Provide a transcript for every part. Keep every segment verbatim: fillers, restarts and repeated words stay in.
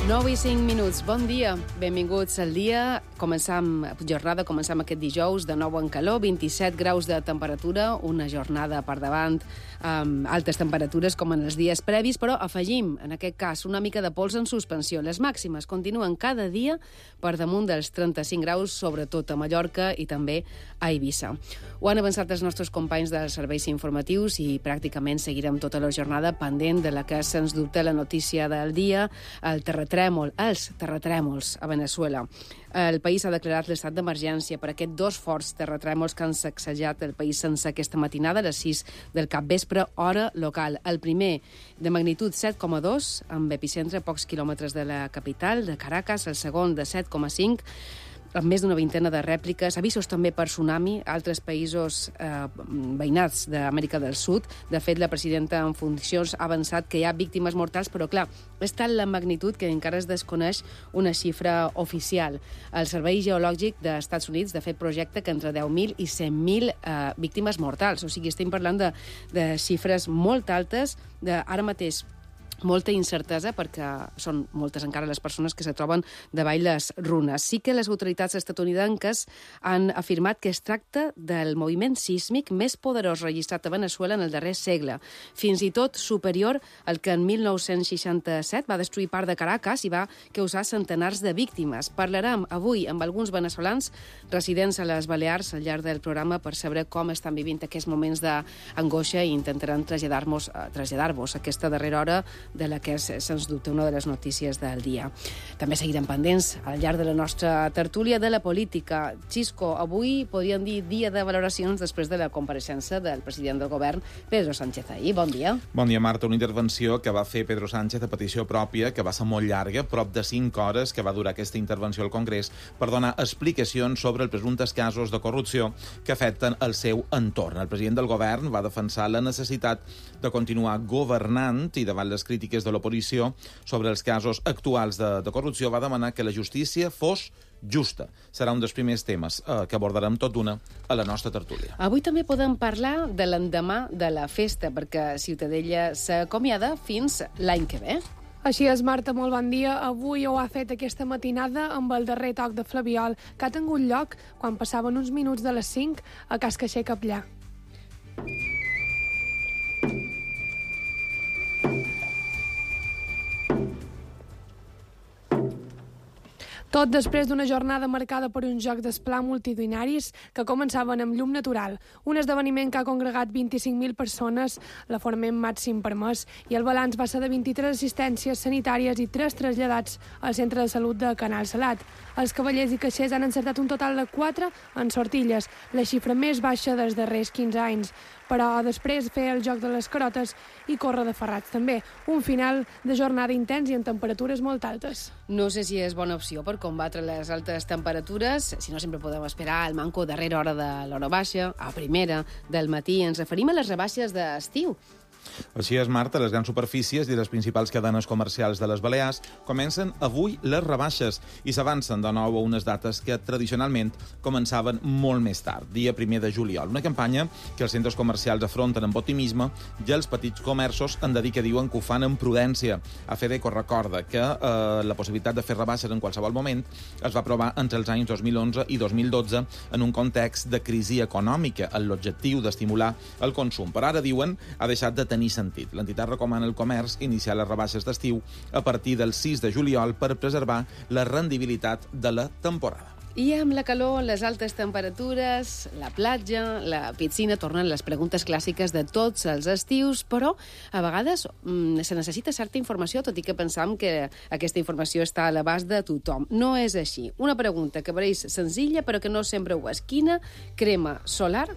nou i cinc minuts. Bon dia. Benvinguts al dia. Començam jornada, començam aquest dijous de nou en calor, vint-i-set graus de temperatura, una jornada per davant amb altes temperatures com en els dies previs, però afegim, en aquest cas, una mica de pols en suspensió. Les màximes continuen cada dia per damunt dels trenta-cinc graus, sobretot a Mallorca i també a Eivissa. Ho han avançat els nostres companys dels serveis informatius i pràcticament seguirem tota la jornada pendent de la que, sens dubte, la notícia del dia, el terratrèmol, els terratrèmols a Veneçuela. El país ha declarat l'estat d'emergència per aquests dos forts terratrèmols que han sacsejat el país sense aquesta matinada, a les sis del capvespre, hora local. El primer, de magnitud set coma dos, amb epicentre a pocs quilòmetres de la capital, de Caracas. El segon, de set coma cinc, amb més d'una vintena de rèpliques, avisos també per tsunami a altres països eh, veïnats d'Amèrica del Sud. De fet, la presidenta en funcions ha avançat que hi ha víctimes mortals, però clar, és tal la magnitud que encara es desconeix una xifra oficial. El Servei Geològic dels Estats Units, de fet, projecta que entre deu mil i cent mil eh, víctimes mortals. O sigui, estem parlant de, de xifres molt altes, de, ara mateix molta incertesa perquè són moltes encara les persones que se troben davall les runes. Sí que les autoritats estatunidenques han afirmat que es tracta del moviment sísmic més poderós registrat a Veneçuela en el darrer segle, fins i tot superior al que en mil nou-cents seixanta-set va destruir part de Caracas i va causar centenars de víctimes. Parlarem avui amb alguns veneçolans residents a les Balears al llarg del programa per saber com estan vivint aquests moments d'angoixa i intentaran traslladar-vos traslladar-vos aquesta darrera hora de la que és, sens dubte, una de les notícies del dia. També seguirem pendents al llarg de la nostra tertúlia de la política. Xisco, avui podríem dir dia de valoracions després de la compareixença del president del govern, Pedro Sánchez ahir. Bon dia. Bon dia, Marta. Una intervenció que va fer Pedro Sánchez a petició pròpia, que va ser molt llarga, prop de cinc hores que va durar aquesta intervenció al Congrés, per donar explicacions sobre els presumptes casos de corrupció que afecten el seu entorn. El president del govern va defensar la necessitat de continuar governant i davant les crítiques de l'oposició sobre els casos actuals de, de corrupció va demanar que la justícia fos justa. Serà un dels primers temes eh, que abordarem tot d'una a la nostra tertúlia. Avui també podem parlar de l'endemà de la festa, perquè Ciutadella s'acomiada fins l'any que ve. Així és, Marta, molt bon dia. Avui ho ha fet aquesta matinada amb el darrer toc de Flabiol, que ha tingut lloc quan passaven uns minuts de les cinc a Cas Caixer Capllà. Tot després d'una jornada marcada per uns jocs d'esplà multitudinaris que començaven amb llum natural, un esdeveniment que ha congregat vint-i-cinc mil persones, l'aforament màxim permès, i el balanç va ser de vint-i-tres assistències sanitàries i tres traslladats al centre de salut de Canal Salat. Els cavallers i caixers han encertat un total de quatre en sortilles, la xifra més baixa dels darrers quinze anys. Però després fer el joc de les carotes i córrer de ferrats també. Un final de jornada intens i amb temperatures molt altes. No sé si és bona opció per combatre les altes temperatures, si no sempre podem esperar el manco a darrera hora de l'hora baixa, a primera del matí. Ens referim a les rebaixes d'estiu. Així és, Marta, les grans superfícies i les principals cadenes comercials de les Balears comencen avui les rebaixes i s'avancen de nou a unes dates que tradicionalment començaven molt més tard, dia primer de juliol. Una campanya que els centres comercials afronten amb optimisme i els petits comerços han de dir que diuen que ho fan amb prudència. A Fedeco recorda que eh, la possibilitat de fer rebaixes en qualsevol moment es va aprovar entre els anys dos mil onze i dos mil dotze en un context de crisi econòmica, amb l'objectiu d'estimular el consum. Però ara, diuen, ha deixat de tenir tenir sentit. L'entitat recomana al comerç iniciar les rebaixes d'estiu a partir del sis de juliol per preservar la rendibilitat de la temporada. I amb la calor, les altes temperatures, la platja, la piscina, tornen les preguntes clàssiques de tots els estius, però a vegades mm, se necessita certa informació, tot i que pensam que aquesta informació està a l'abast de tothom. No és així. Una pregunta que pareix senzilla, però que no sempre ho és. Quina crema solar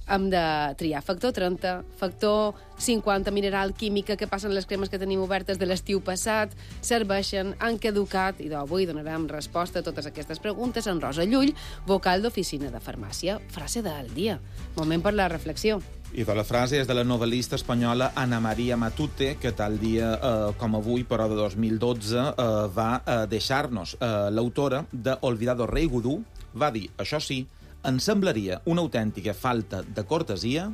hem de triar? Factor trenta, factor cinquanta, mineral, química, què passen les cremes que tenim obertes de l'estiu passat, serveixen, han caducat, i d'avui donarem resposta a totes aquestes preguntes en Rosa Llull, vocal d'Oficina de Farmàcia. Frase del dia. Moment per la reflexió. I de la frase és de la novel·lista espanyola Ana María Matute, que tal dia eh, com avui, però de dos mil dotze, eh, va eh, deixar-nos. Eh, L'autora de Olvidado Rei Gudú va dir, això sí, ens semblaria una autèntica falta de cortesia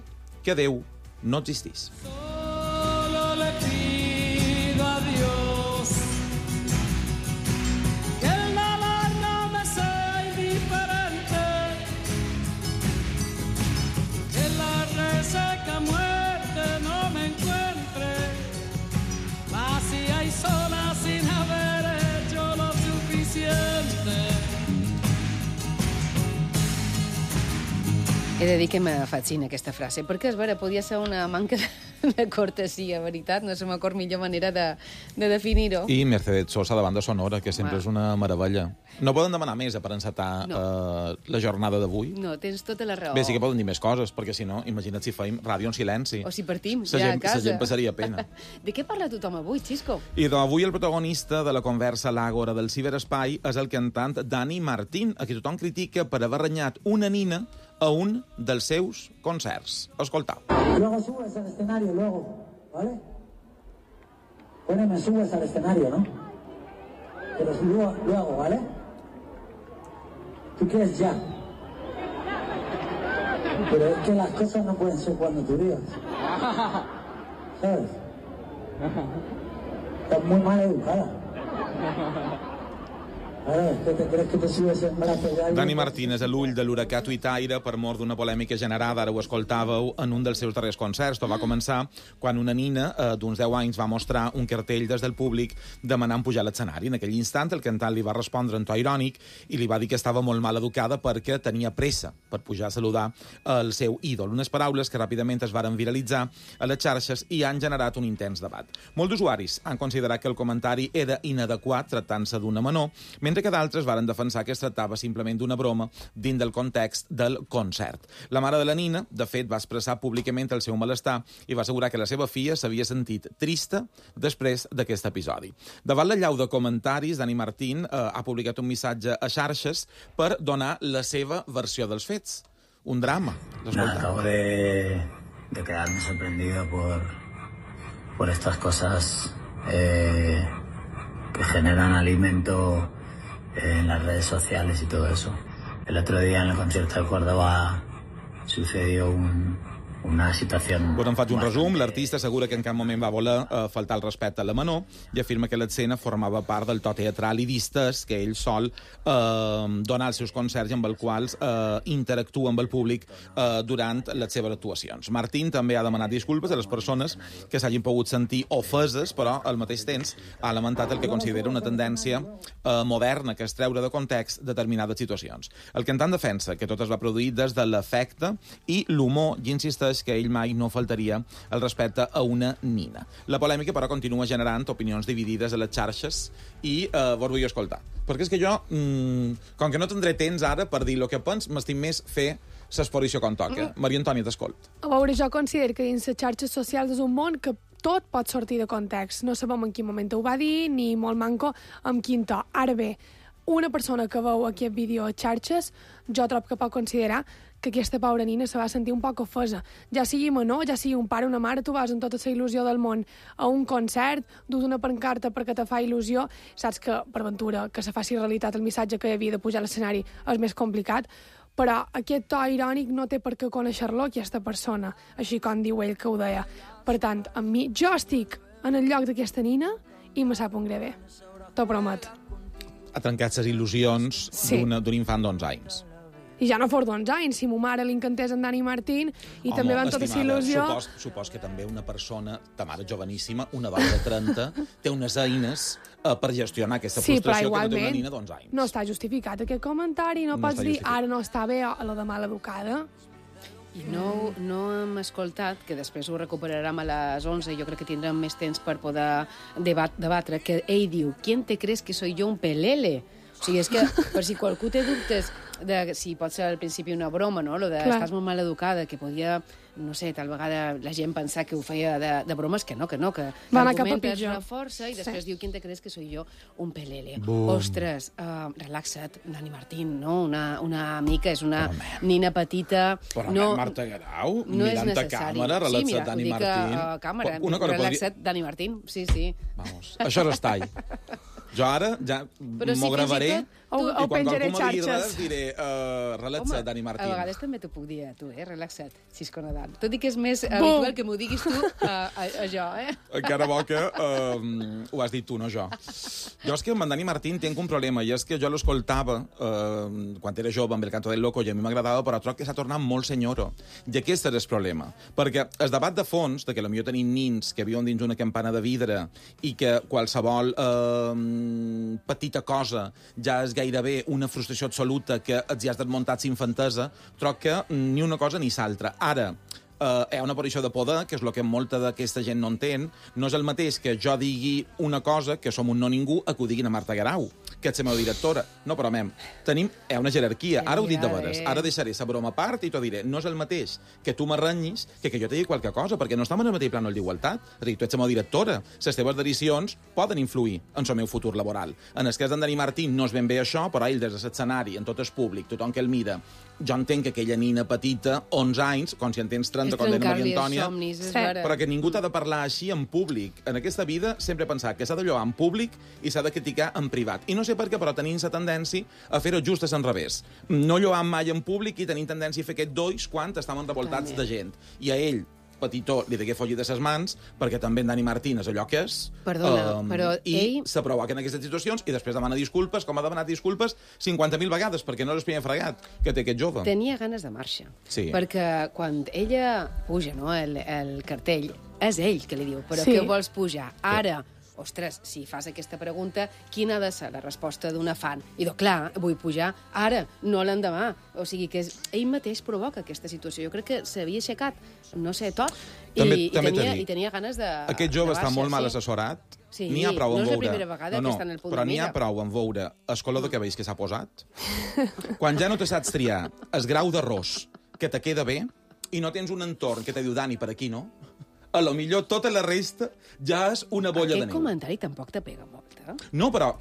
que Déu no existís. Solo le pido a Dios He de dir que me fascina aquesta frase, perquè, és vera, podia ser una manca de cortesia, veritat? No se m'acord millor manera de, de definir-ho. I Mercedes Sosa, de banda sonora, que sempre Uau. és una meravella. No poden demanar més per encetar No. eh, la jornada d'avui? No, tens tota la raó. Bé, sí que poden dir més coses, perquè si no, imagina't si feim ràdio en silenci. O si partim, Sa ja gent, a casa. sa gent passaria pena. De què parla tothom avui, Xisco? I doncs, avui el protagonista de la conversa a l'Àgora del ciberespai és el cantant Dani Martín, a qui tothom critica per haver renyat una nina a un dels seus concerts. Escoltau. Luego subes al escenario, luego, ¿vale? Poneme, subes al escenario, ¿no? Pero luego, luego, ¿vale? Tú quieres ya. Pero es que las cosas no pueden ser cuando tú digas. ¿Sabes? Estás muy mal educada. Ara, què te creus que te subes en braços d'algú? Dani Martín és a l'ull de l'huracà tuitaire per mort d'una polèmica generada, ara ho escoltàveu, en un dels seus darrers concerts. Tot va començar quan una nina eh, d'uns deu anys va mostrar un cartell des del públic demanant pujar a l'escenari. En aquell instant el cantant li va respondre en to irònic i li va dir que estava molt mal educada perquè tenia pressa per pujar a saludar el seu ídol. Unes paraules que ràpidament es varen viralitzar a les xarxes i han generat un intens debat. Molts d'usuaris han considerat que el comentari era inadequat tractant-se d'una menor, mentre que d'altres varen defensar que es tractava simplement d'una broma dins del context del concert. La mare de la nina, de fet, va expressar públicament el seu malestar i va assegurar que la seva filla s'havia sentit trista després d'aquest episodi. Davant la llau de comentaris, Dani Martín eh, ha publicat un missatge a xarxes per donar la seva versió dels fets. Un drama. Nada, acabo de, de quedarme sorprendido por, por estas cosas eh, que generan alimento en las redes sociales y todo eso. El otro día en el concierto de Córdoba sucedió un, una situación... Bueno, en faig un bastante... resum. L'artista assegura que en cap moment va voler eh, faltar el respecte a la menor i afirma que l'escena formava part del to teatral i distès que ell sol eh, donar als seus concerts i amb els quals eh, interactua amb el públic eh, durant les seves actuacions. Martín també ha demanat disculpes a les persones que s'hagin pogut sentir ofeses, però al mateix temps ha lamentat el que considera una tendència eh, moderna, que és treure de context determinades situacions. El cantant defensa que tot es va produir des de l'afecte i l'humor i insisteix que ell mai no faltaria el respecte a una nina. La polèmica, però, continua generant opinions dividides a les xarxes i eh, vos vull escoltar. Perquè és que jo, mmm, com que no tindré temps ara per dir el que pens, m'estim més fer l'exposició com toca. Mm. Maria Antònia, t'escolt. A veure, jo considero que dins les xarxes socials és un món que tot pot sortir de context. No sabem en quin moment ho va dir, ni molt manco amb quin to. Ara bé, una persona que veu aquest vídeo a xarxes, jo trobo que pot considerar que aquesta pobra nina se va sentir un poc ofesa. Ja sigui menor, ja sigui un pare o una mare, tu vas amb tota la il·lusió del món a un concert, dus una pancarta perquè te fa il·lusió, saps que, per ventura, que se faci realitat el missatge que havia de pujar a l'escenari és més complicat, però aquest to irònic no té per què conèixer-lo aquesta persona, així com diu ell que ho deia. Per tant, amb mi, jo estic en el lloc d'aquesta nina i me sap un greu bé. T'ho promet. Ha trencat les il·lusions Sí. d'un infant d'onze anys. I ja no fos d'onze anys, si mo mare l'incantés en Dani Martín i Home, també van tota la estimada, il·lusió... Supos, supos que també una persona, ta mare joveníssima, una dona de trenta, té unes eines eh, per gestionar aquesta Sí, però frustració que no té una igualment nina d'onze anys. no està justificat aquest comentari, no, No pots està dir justificat. ara no està bé a la de mal educada. I no, no hem escoltat, que després ho recuperarem a les onze, jo crec que tindrem més temps per poder debat, debatre, que ell diu, ¿quién te crees que soy yo, un pelele? O sigui, és que, per si qualcú té dubtes de si pot ser al principi una broma, no?, lo de Clar. estàs molt mal educada, que podia, no sé, tal vegada la gent pensar que ho feia de, de bromes, que no, que no, que Va anar cap a l'argument és pitjor. una força i després Sí. diu, ¿quién te crees que soy yo? Un pelele. Bum. Ostres, uh, relaxa't, Dani Martín, no? Una, una mica, és una Però, mem. nina petita... Però, no, Marta Garau, no és mirant a necessari. càmera, sí, relaxat mira, Dani ho dic Martín. a, a càmera, Una cosa relaxat Dani Martín, sí, sí. Vamos, això és estall. Jo ara ja Però sí, m'ho fins i gravaré tot tu- Ho- i ho quan penjaré qualcú me digui xarxes. res diré uh, relaxat, Dani Martín. a vegades també t'ho puc dir a tu, eh? Relaxa't, Xisco Nadal. Tot i que és més habitual que m'ho diguis tu a, a, a jo, eh? Encara bo que uh, ho has dit tu, no jo. Jo és que amb en Dani Martín tinc un problema, i és que jo l'escoltava uh, quan era jove amb el canto del loco i a mi m'agradava, però trobo que s'ha tornat molt senyoro. I aquest és el problema. Perquè el debat de fons, de que potser tenim nins que viuen dins una campana de vidre i que qualsevol uh, petita cosa ja és gairebé gairebé una frustració absoluta que els hi has desmuntat sin infantesa, troc que ni una cosa ni l'altra. Ara, Uh, hi ha una aparició de poder, que és el que molta d'aquesta gent no entén. No és el mateix que jo digui una cosa, que som un no ningú, a que ho diguin a Marta Guerau, que és la meva directora. No, però, mem, tenim hi ha una jerarquia. Ara ho dic de veres. Ara deixaré la broma a part i t'ho diré. No és el mateix que tu m'arrenyis que que jo te digui qualque cosa, perquè no estem en el mateix plànol d'igualtat. És a dir, tu ets la meva directora. Les teves decisions poden influir en el meu futur laboral. En el cas d'en Dani Martín no és ben bé això, però ell des de l'escenari, en tot el públic, tothom que el mira, jo entenc que aquella nina petita, onze anys, com si en tens trenta, com deia Maria Antònia, somnis, sí. però que ningú t'ha de parlar així en públic. En aquesta vida sempre he pensat que s'ha de lloar en públic i s'ha de criticar en privat. I no sé per què, però tenim la tendència a fer-ho just a l'enrevés. No lloar mai en públic i tenim tendència a fer aquest dois quan estàvem revoltats de gent. I a ell, petitó, li degué follir de ses mans, perquè també en Dani Martín és allò que és. Perdona, um, però i ell... s'aprovoca en aquestes situacions i després demana disculpes, com ha demanat disculpes cinquanta mil vegades, perquè no és el primer fregat que té aquest jove. Tenia ganes de marxa. Sí. Perquè quan ella puja, no, el, el cartell, és ell que li diu, però Sí. què vols pujar? Ara, ostres, si fas aquesta pregunta, quina ha de ser la resposta d'un fan? I doncs, clar, vull pujar ara, no l'endemà. O sigui que és, ell mateix provoca aquesta situació. Jo crec que s'havia aixecat, no sé, tot, També- i, també i, t'he tenia, dit. i tenia ganes de Aquest jove de està baixa, molt mal sí. assessorat. Sí, N'hi ha prou no en és la veure... primera vegada que està en el punt però de n'hi ha mira. prou en veure el color de cabells que s'ha posat. Quan ja no te saps triar el grau d'arròs que te queda bé i no tens un entorn que te diu, Dani, per aquí no, a lo millor tota la resta ja és una bolla de Aquest neu. comentari tampoc te pega molt, eh? No, però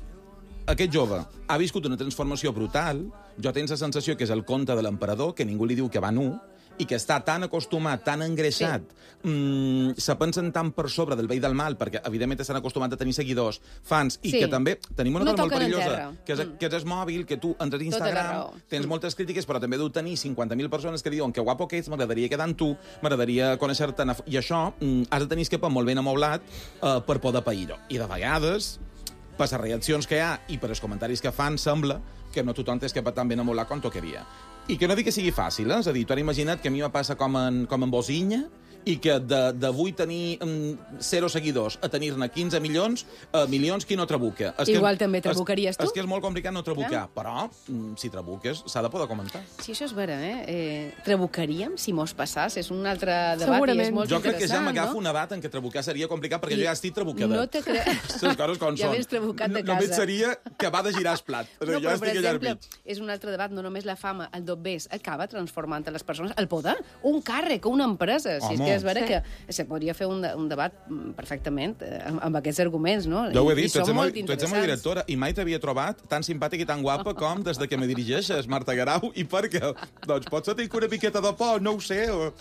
aquest jove ha viscut una transformació brutal. Jo tens la sensació que és el conte de l'emperador, que ningú li diu que va nu, i que està tan acostumat, tan engreixat, sí. mm, se pensen tan per sobre del bé i del mal, perquè evidentment estan acostumats a tenir seguidors, fans, i Sí. que també tenim una No cosa molt toquen en perillosa, terra. que és, Mm. que és el mòbil, que tu entres a Tota la Instagram, raó. tens Mm. moltes crítiques, però també deu tenir cinquanta mil persones que diuen que guapo que ets, m'agradaria quedar amb tu, m'agradaria conèixer-te, i això mm, has de tenir el cap molt ben amoblat eh, per poder pair-ho. I de vegades, per les reaccions que hi ha i per els comentaris que fan, sembla que no tothom té escapat tan ben amoblat com tocaria. I que no dic que sigui fàcil, eh? És a dir, tu ara imagina't que a mi me passa com en, com en Bosinya, i que d'avui tenir mm, zero seguidors a tenir-ne quinze milions, eh, milions qui no trabuca. És Igual que, també trabucaries tu. És que és molt complicat no trabucar, però mm, si trabuques s'ha de poder comentar. Sí, això és vera, eh? eh trabucaríem si mos passàs? És un altre debat Segurament. i és molt Jo crec que ja interessant, m'agafo no? un debat en què trabucar seria complicat, perquè I jo ja estic trabucada. no te cre- Les coses com Ja són. vens trabucat de No- Només casa. seria que va de girar el plat. No, jo però, per estic allà al exemple, mig. és un altre debat, no només la fama, el dobbers acaba transformant a les persones el poder, un càrrec, una empresa. Si és Home. que és vera Sí. que se podria fer un, de- un debat mm, perfectament eh, amb, amb aquests arguments, no? Ja ho he I- i dit, tu ets, són la, molt tu ets la meva interessants. directora i mai t'havia trobat tan simpàtica i tan guapa com des de que me dirigeixes, Marta Guerau, i per què? Doncs potser tinc una miqueta de por, no ho sé, o...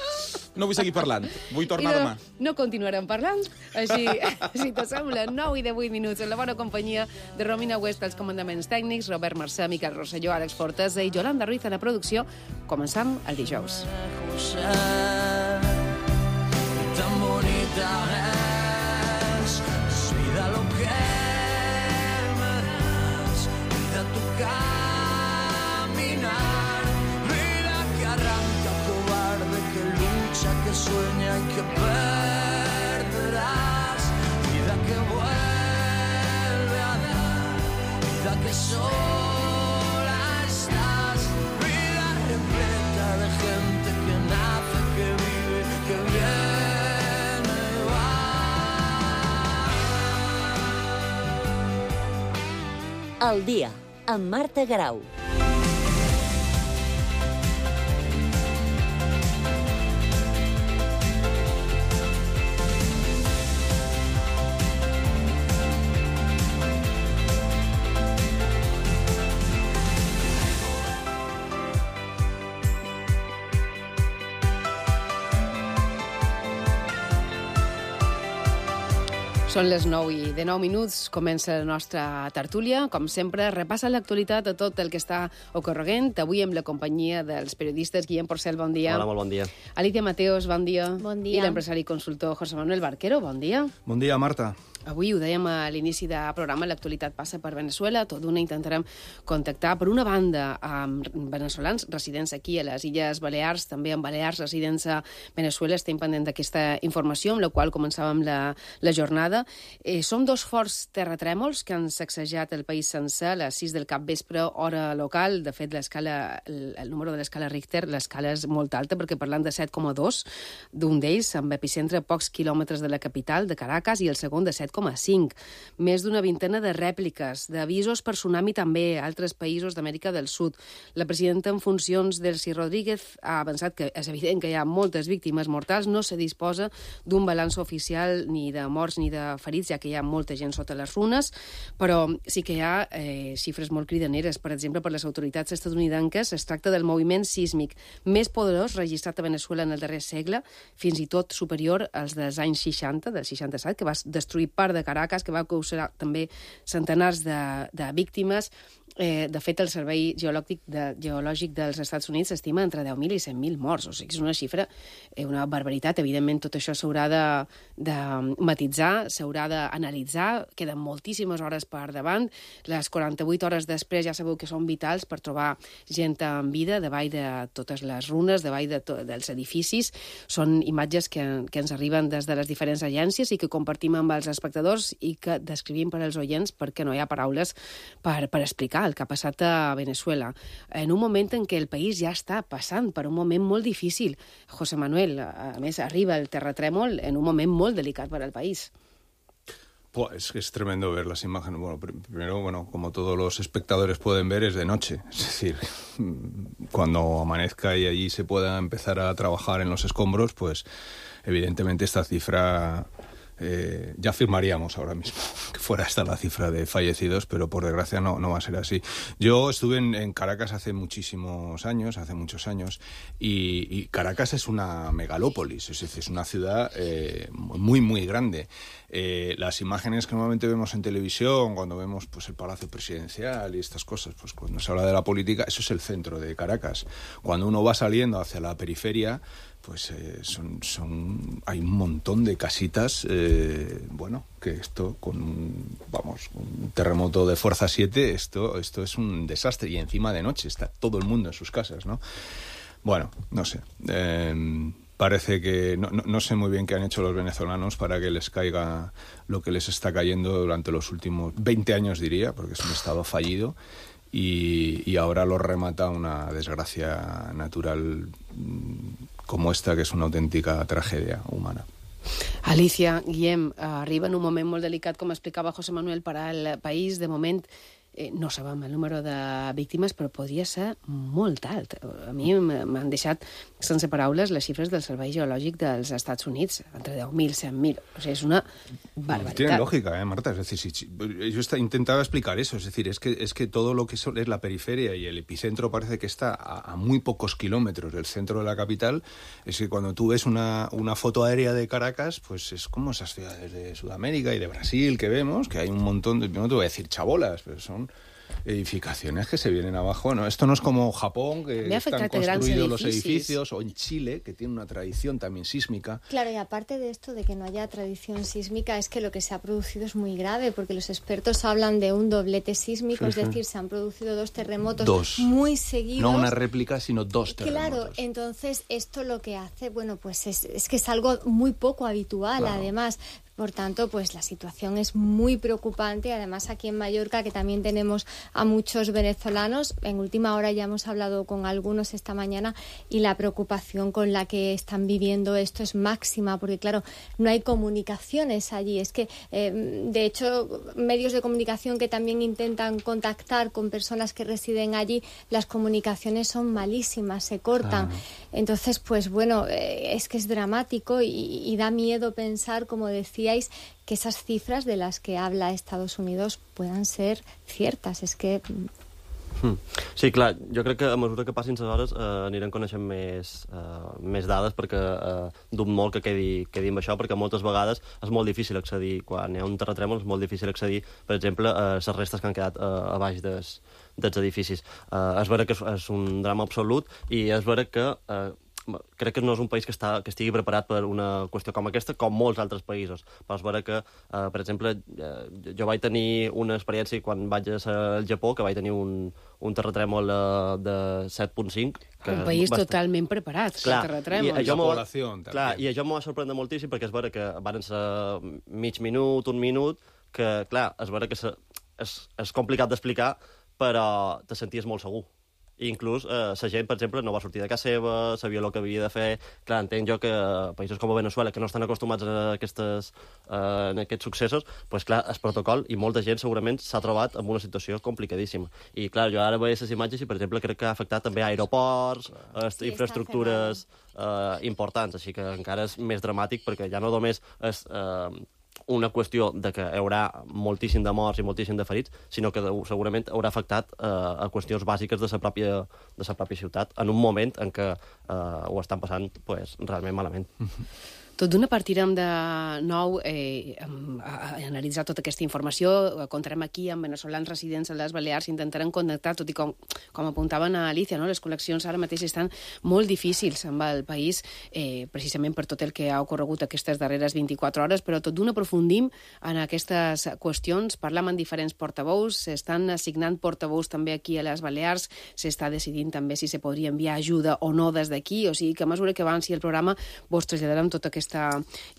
no vull seguir parlant, vull tornar I demà. no, no continuarem parlant, així, si t'assembla, nou i divuit minuts, en la bona companyia de Romina West, als comandaments tècnics, Robert Mercè, Miquel Rosselló, Àlex Fortesa i Yolanda Ruiz a la producció. Començam el dijous. Tan bonita es, es vida lo que me das, vida tu caminar, vida que arranca, cobarde, que lucha, que sueña y que perderás, vida que vuelve a dar, vida que sola estás, vida repleta de gente que nace, que vive, que viene. El dia, amb Marta Guerau. Són les nou i de nou minuts, comença la nostra tertúlia. Com sempre, repassa l'actualitat de tot el que està ocorrent. Avui amb la companyia dels periodistes Guillem Porcel, bon dia. Hola, molt bon dia. Alicia Mateos, bon dia. Bon dia. I l'empresari i consultor José Manuel Barquero, bon dia. Bon dia, Marta. Avui ho dèiem a l'inici del programa, l'actualitat passa per Venezuela. Tot d'una intentarem contactar, per una banda, amb veneçolans residents aquí a les Illes Balears, també amb balears residents a Venezuela. Estem pendent d'aquesta informació, amb la qual començàvem la, la jornada. Eh, són dos forts terratrèmols que han sacsejat el país sencer a les sis del capvespre, hora local. De fet, l'escala, el, el número de l'escala Richter, l'escala és molt alta, perquè parlant de set coma dos, d'un d'ells, amb epicentre a pocs quilòmetres de la capital, de Caracas, i el segon de set coma cinc. Més d'una vintena de rèpliques, d'avisos per tsunami també a altres països d'Amèrica del Sud. La presidenta en funcions, Delcy Rodríguez, ha avançat que és evident que hi ha moltes víctimes mortals, no se disposa d'un balanç oficial ni de morts ni de ferits, ja que hi ha molta gent sota les runes, però sí que hi ha eh, xifres molt cridaneres. Per exemple, per les autoritats estatunidenques es tracta del moviment sísmic més poderós registrat a Venezuela en el darrer segle, fins i tot superior als dels anys seixanta, del seixanta-set, que va destruir part de Caracas, que va causar també centenars de, de víctimes. Eh, de fet, el Servei Geològic, de, Geològic dels Estats Units s'estima entre deu mil i cent mil morts. O sigui, és una xifra, eh, una barbaritat. Evidentment, tot això s'haurà de, de matitzar, s'haurà d'analitzar. Queden moltíssimes hores per davant. Les quaranta-vuit hores després ja sabeu que són vitals per trobar gent en vida davall de totes les runes, davall de to dels edificis. Són imatges que, que ens arriben des de les diferents agències i que compartim amb els espectadors i que descrivim per als oients perquè no hi ha paraules per, per explicar el que ha passat a Venezuela, en un moment en què el país ja està passant per un moment molt difícil. José Manuel, a més, arriba el terratrèmol en un moment molt delicat per al país. Pues es tremendo ver las imágenes. Bueno, primero, bueno, como todos los espectadores pueden ver, es de noche. Es decir, cuando amanezca y allí se pueda empezar a trabajar en los escombros, pues evidentemente esta cifra... Eh, ya firmaríamos ahora mismo que fuera esta la cifra de fallecidos, pero por desgracia no, no va a ser así. Yo estuve en, en Caracas hace muchísimos años, hace muchos años, y, y Caracas es una megalópolis, es decir, es una ciudad eh, muy, muy grande. Eh, las imágenes que normalmente vemos en televisión, cuando vemos pues el Palacio Presidencial y estas cosas, pues cuando se habla de la política, eso es el centro de Caracas. Cuando uno va saliendo hacia la periferia, pues eh, son, son hay un montón de casitas, eh, bueno, que esto con un, vamos, un terremoto de fuerza siete, esto, esto es un desastre, y encima de noche está todo el mundo en sus casas, ¿no? Bueno, no sé, eh, parece que no, no, no sé muy bien qué han hecho los venezolanos para que les caiga lo que les está cayendo durante los últimos veinte años, diría, porque es un estado fallido. Y, y ahora lo remata una desgracia natural como esta, que és una autèntica tragèdia humana. Alicia, Guillem, arriba en un moment molt delicat, com explicava José Manuel, per al país. De moment eh, no sabem el número de víctimes, però podria ser molt alt. A mi m'han deixat sense paraules les xifres del Servei Geològic dels Estats Units, entre deu mil i cent mil. O sigui, és una barbaritat. Tiene lógica, ¿eh, Marta? Es decir, si, si, yo está, intentaba explicar eso, es decir, es que, es que todo lo que es, es la periferia y el epicentro parece que está a, a muy pocos kilómetros del centro de la capital. Es que cuando tú ves una, una foto aérea de Caracas, pues es como esas ciudades de Sudamérica y de Brasil que vemos, que hay un montón de, no te voy a decir chabolas, pero son edificaciones que se vienen abajo, ¿no? Esto no es como Japón, que están construidos los edificios, o en Chile, que tiene una tradición también sísmica. Claro, y aparte de esto de que no haya tradición sísmica, es que lo que se ha producido es muy grave, porque los expertos hablan de un doblete sísmico, sí, es sí. decir, se han producido dos terremotos dos. muy seguidos. No una réplica, sino dos terremotos. Claro, entonces esto lo que hace, bueno, pues es, es que es algo muy poco habitual, claro. Además. Por tanto, pues la situación es muy preocupante. Además, aquí en Mallorca, que también tenemos a muchos venezolanos, en última hora ya hemos hablado con algunos esta mañana, y la preocupación con la que están viviendo esto es máxima, porque claro, no hay comunicaciones allí. Es que, eh, de hecho, medios de comunicación que también intentan contactar con personas que residen allí, las comunicaciones son malísimas, se cortan. Ah. Entonces, pues bueno, eh, es que es dramático y, y da miedo pensar, como decía, que esas cifras de las que habla Estados Unidos puedan ser ciertas. És que... Hmm. Sí, clar, jo crec que a mesura que passin les hores eh, anirem coneixent més, eh, més dades, perquè eh, dubto molt que quedi, quedi amb això, perquè moltes vegades és molt difícil accedir, quan hi ha un terratrèmol és molt difícil accedir, per exemple, a les restes que han quedat eh, a baix des, dels edificis. Eh, és vera que és, és un drama absolut, i és vera que eh, crec que no és un país que, està, que estigui preparat per una qüestió com aquesta, com molts altres països. Vas veure que, eh, per exemple, eh, jo vaig tenir una experiència quan vaig ser al Japó, que vaig tenir un, un terratrèmol eh, de set punt cinc. Un país bastant... totalment preparat, clar, per terratrèmols. I això població, clar, i això m'ho va sorprendre moltíssim, perquè es veure que van ser mig minut, un minut, que, clar, es veure que se, és, és complicat d'explicar, però te senties molt segur. I inclús eh, la gent, per exemple, no va sortir de casa seva, sabia el que havia de fer. Clar, entenc jo que països com Venezuela, que no estan acostumats a, aquestes, eh, a aquests successos, doncs clar, el protocol, i molta gent segurament s'ha trobat en una situació complicadíssima. I clar, jo ara veia les imatges i, per exemple, crec que ha afectat també aeroports, eh, sí, infraestructures eh, importants, així que encara és més dramàtic, perquè ja no només és... Eh, una qüestió de que hi haurà moltíssim de morts i moltíssim de ferits, sinó que segurament haurà afectat eh, a qüestions bàsiques de la pròpia, de la pròpia ciutat en un moment en què eh, ho estan passant pues, realment malament. Tot d'una partirem de nou eh, a, a analitzar tota aquesta informació. Comptarem aquí amb veneçolans residents a les Balears, intentarem connectar, tot i com, com apuntaven a Alicia, no? Les col·leccions ara mateix estan molt difícils amb el país, eh, precisament per tot el que ha ocorregut aquestes darreres vint-i-quatre hores, però tot d'una aprofundim en aquestes qüestions, parlam amb diferents portaveus, s'estan assignant portaveus també aquí a les Balears, s'està decidint també si se podria enviar ajuda o no des d'aquí, o sigui que a mesura que avanci el programa vos traslladarem tota aquesta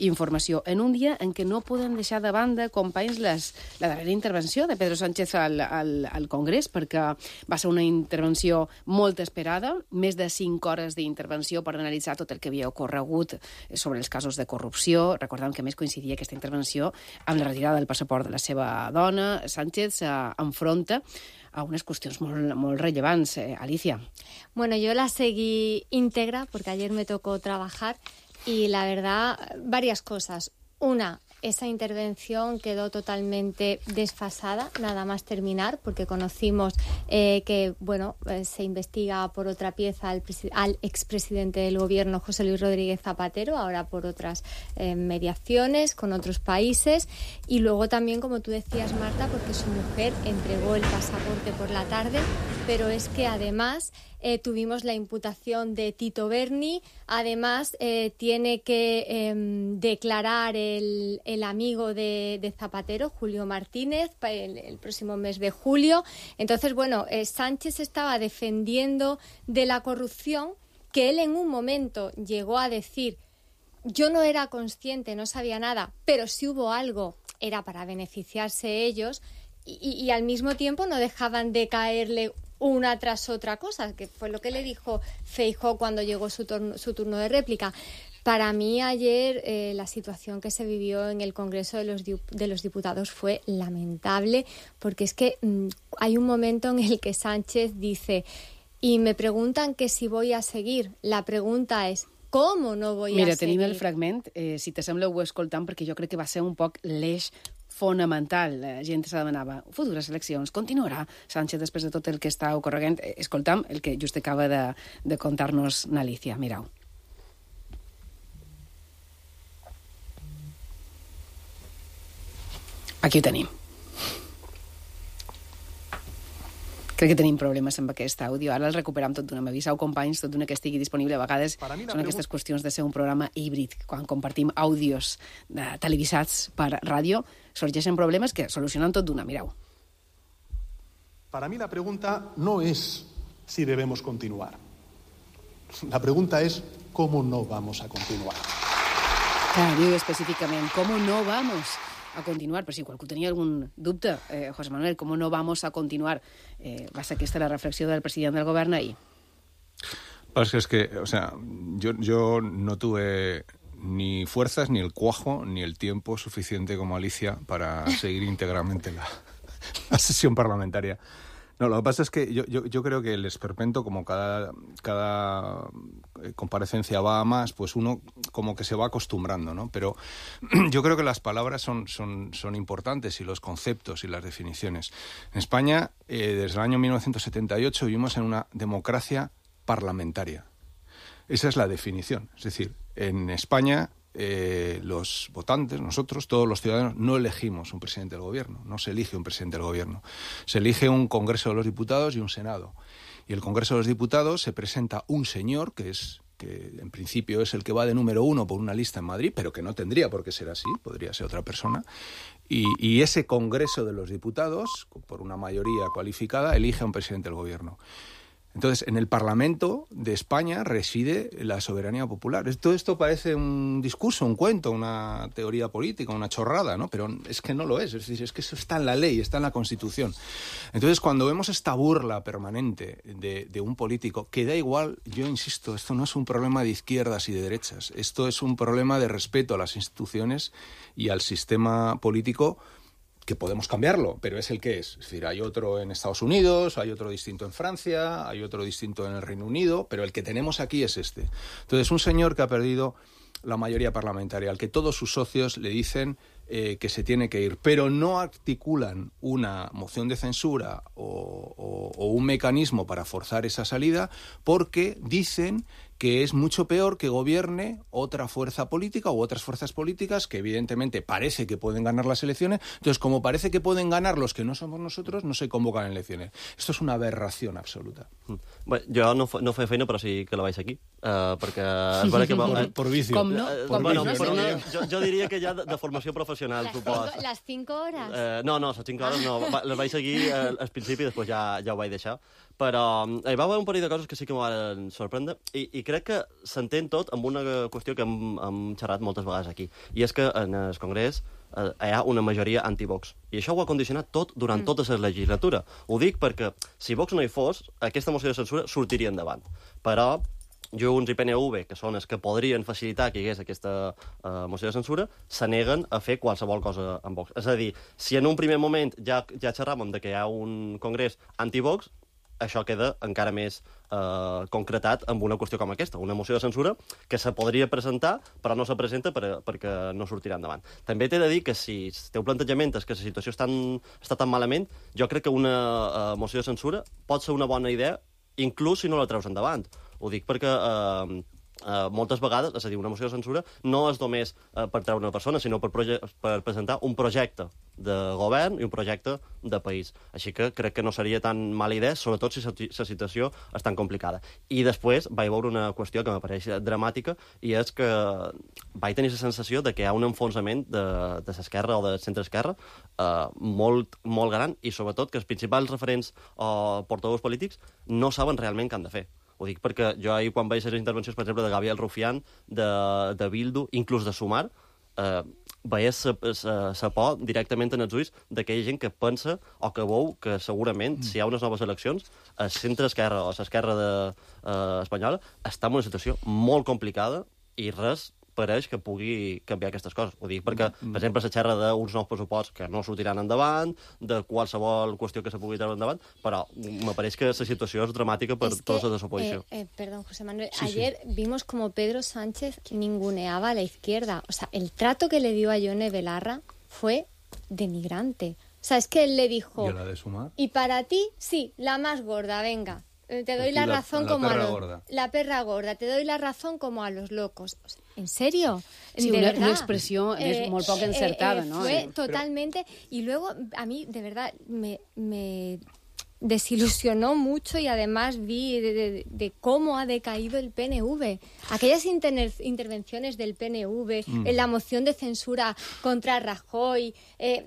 informació en un dia en què no podem deixar de banda, companys, les, la darrera intervenció de Pedro Sánchez al, al, al Congrés, perquè va ser una intervenció molt esperada, més de cinc hores d'intervenció per analitzar tot el que havia ocorregut sobre els casos de corrupció. Recordem que més coincidia aquesta intervenció amb la retirada del passaport de la seva dona. Sánchez s'enfronta a unes qüestions molt, molt rellevants. Eh, Alicia. Bueno, yo la seguí íntegra porque ayer me tocó trabajar. Y la verdad, varias cosas. Una, esa intervención quedó totalmente desfasada, nada más terminar, porque conocimos eh, que bueno eh, se investiga por otra pieza al, al expresidente del gobierno, José Luis Rodríguez Zapatero, ahora por otras eh, mediaciones con otros países. Y luego también, como tú decías, Marta, porque su mujer entregó el pasaporte por la tarde, pero es que además... Eh, tuvimos la imputación de Tito Berni, además eh, tiene que eh, declarar el, el amigo de, de Zapatero, Julio Martínez, el, el próximo mes de julio. Entonces, bueno, eh, Sánchez estaba defendiendo de la corrupción, que él en un momento llegó a decir, yo no era consciente, no sabía nada, pero si hubo algo, era para beneficiarse ellos, y, y, y al mismo tiempo no dejaban de caerle una tras otra cosa, que fue lo que le dijo Feijóo cuando llegó su turno, su turno de réplica. Para mí ayer eh, la situación que se vivió en el Congreso de los, de los Diputados fue lamentable, porque es que mmm, hay un momento en el que Sánchez dice, y me preguntan que si voy a seguir, la pregunta es, ¿cómo no voy Mira, a seguir? Mira, tenim el fragment, eh, si t'assembla ho escoltam, perquè jo crec que va ser un poc l'eix fonamental. La gent se demanava, futures eleccions, continuarà Sánchez després de tot el que està ocorrent? Escoltam el que just acaba de, de contar-nos Alicia. Mireu. Aquí ho tenim. Crec que tenim problemes amb aquest àudio. Ara el recuperam tot d'una. M'aviseu, companys, tot d'una que estigui disponible. A vegades són aquestes qüestions de ser un programa híbrid. Quan compartim àudios de televisats per ràdio, sorgeixen problemes que solucionen tot d'una. Mireu. Para mí la pregunta no es si debemos continuar. La pregunta es cómo no vamos a continuar. Clar, diu específicament, ¿cómo no vamos a continuar? Però si qualcú tenia algun dubte, eh, José Manuel, ¿cómo no vamos a continuar? Eh, va ser aquesta la reflexió del president del govern ahir. Pues es que, o sea, yo, yo no tuve ni fuerzas, ni el cuajo, ni el tiempo suficiente como Alicia para seguir íntegramente la, la sesión parlamentaria. No, lo que pasa es que yo, yo, yo creo que el esperpento, como cada, cada comparecencia va a más, pues uno como que se va acostumbrando, ¿no? Pero yo creo que las palabras son, son, son importantes y los conceptos y las definiciones. En España, eh, desde el año mil novecientos setenta y ocho, vivimos en una democracia parlamentaria. Esa es la definición. Es decir, en España... Eh, los votantes, nosotros, todos los ciudadanos, no elegimos un presidente del gobierno, no se elige un presidente del gobierno. Se elige un Congreso de los Diputados y un Senado. Y el Congreso de los Diputados se presenta un señor, que es que en principio es el que va de número uno por una lista en Madrid, pero que no tendría por qué ser así, podría ser otra persona. Y, y ese Congreso de los Diputados, por una mayoría cualificada, elige a un presidente del gobierno. Entonces, en el Parlamento de España reside la soberanía popular. Todo esto parece un discurso, un cuento, una teoría política, una chorrada, ¿no? Pero es que no lo es. Es decir, es que eso está en la ley, está en la Constitución. Entonces, cuando vemos esta burla permanente de, de un político, que da igual, yo insisto, esto no es un problema de izquierdas y de derechas. Esto es un problema de respeto a las instituciones y al sistema político, que podemos cambiarlo, pero es el que es. Es decir, hay otro en Estados Unidos, hay otro distinto en Francia, hay otro distinto en el Reino Unido, pero el que tenemos aquí es este. Entonces, un señor que ha perdido la mayoría parlamentaria, al que todos sus socios le dicen eh, que se tiene que ir, pero no articulan una moción de censura o, o, o un mecanismo para forzar esa salida, porque dicen que es mucho peor que gobierne otra fuerza política u otras fuerzas políticas que evidentemente parece que pueden ganar las elecciones. Entonces, como parece que pueden ganar los que no somos nosotros, no se convocan elecciones. Esto és una aberració absoluta. Bé, jo no, no feia feina, però sí que la vaig aquí, uh, perquè és vera que... Por, por vicio. Com no? Uh, Com bueno, no? per una, jo, jo diria que ja de, de formació professional, Las supos. cinco, las cinco horas. Uh, no, no, les cinc hores no. Va, les vaig seguir uh, al principi i després ja, ja ho vaig deixar. Però hi va haver un parell de coses que sí que m'ho van sorprendre i, i crec que s'entén tot amb una qüestió que hem, hem xerrat moltes vegades aquí. I és que en el Congrés eh, hi ha una majoria anti-Vox. I això ho ha condicionat tot durant mm. tota la legislatura. Ho dic perquè si Vox no hi fos, aquesta moció de censura sortiria endavant. Però Junts i P N V, que són els que podrien facilitar que hi hagués aquesta uh, moció de censura, se neguen a fer qualsevol cosa amb Vox. És a dir, si en un primer moment ja, ja xerràvem de que hi ha un Congrés anti-Vox, això queda encara més eh, concretat amb una qüestió com aquesta, una moció de censura que se podria presentar, però no se presenta per, perquè no sortirà endavant. També t'he de dir que si el teu plantejament és que la situació està tan, està tan malament, jo crec que una eh, moció de censura pot ser una bona idea, inclús si no la treus endavant. Ho dic perquè eh, Uh, moltes vegades, és a dir, una moció de censura no és només uh, per treure una persona, sinó per, per presentar un projecte de govern i un projecte de país. Així que crec que no seria tan mala idea, sobretot si la situació és tan complicada. I després vaig veure una qüestió que m'apareix dramàtica, i és que vaig tenir la sensació de que hi ha un enfonsament de, de l'esquerra o de centre-esquerra uh, molt, molt gran, i sobretot que els principals referents o portaveus polítics no saben realment què han de fer. Ho dic perquè jo ahir, quan veig les intervencions, per exemple, de Gabriel Rufián, de, de Bildu, inclús de Sumar, eh, veies la por directament en els ulls d'aquella gent que pensa o que veu que segurament, mm. si hi ha unes noves eleccions, el centre-esquerra o l'esquerra de, eh, espanyola està en una situació molt complicada i res pareix que pugui canviar aquestes coses. Ho dic perquè, mm. per exemple, se xerra d'uns nous pressuposts que no sortiran endavant, de qualsevol qüestió que se pugui treure endavant, però m'apareix que la situació és dramàtica per es tota que, la oposició. Eh, eh, perdón, José Manuel. Sí, Ayer sí. vimos como Pedro Sánchez ninguneaba a la izquierda. O sea, el trato que le dio a Yone Belarra fue denigrante. O sea, es que él le dijo... ¿Y la de Sumar? Y para ti, sí, la más gorda, venga. Te doy la, la razón la como a los... gorda. La perra gorda. Te doy la razón como a los locos. O sea, ¿en serio? Sí, de una, verdad. una expresión eh, muy poco encertada, eh, eh, ¿no? Fue sí, totalmente... Pero... Y luego, a mí, de verdad, me... me desilusionó mucho, y además vi de, de, de cómo ha decaído el P N V. Aquellas inter intervenciones del P N V mm. en la moción de censura contra Rajoy, eh,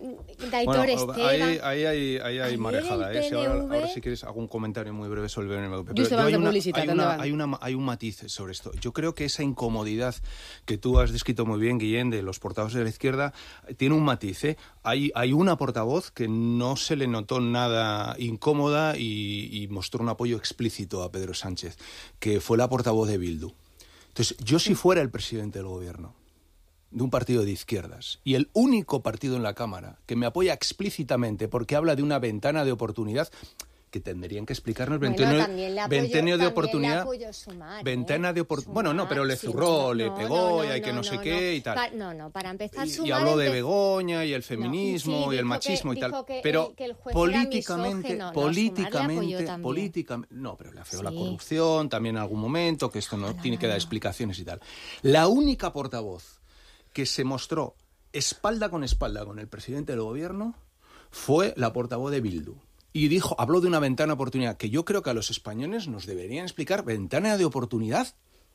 Aitor bueno, Esteban... Ahí, ahí, ahí, ahí hay marejada. ¿eh? Si ahora, ahora, si quieres, hago un comentario muy breve sobre el P N V. Pero yo hay, una, hay, una, hay, una, hay un matiz sobre esto. Yo creo que esa incomodidad que tú has descrito muy bien, Guillén, de los portavoces de la izquierda, tiene un matiz. ¿eh? Hay, hay una portavoz que no se le notó nada incómodo Y, y mostró un apoyo explícito a Pedro Sánchez, que fue la portavoz de Bildu. Entonces, yo si fuera el presidente del gobierno de un partido de izquierdas y el único partido en la Cámara que me apoya explícitamente porque habla de una ventana de oportunidad, que tendrían que explicarnos bueno, ventenio de oportunidad, Sumar, ventana ¿eh? de oportunidad. Bueno, no, pero le zurró, sí, le no, pegó, no, no, y hay que no, no sé no, qué no. y tal. Pa no, no, para empezar, y, Sumar y habló de empe... Begoña y el feminismo no, sí, y el machismo que, y tal. Que, pero que el juez políticamente, era políticamente, no, políticamente, no, pero le afeó sí. la corrupción también en algún momento, que esto no, no tiene no, que dar explicaciones y tal. La única portavoz que se mostró espalda con espalda con el presidente del gobierno fue la portavoz de Bildu. Y dijo, habló de una ventana de oportunidad, que yo creo que a los españoles nos deberían explicar, ¿ventana de oportunidad?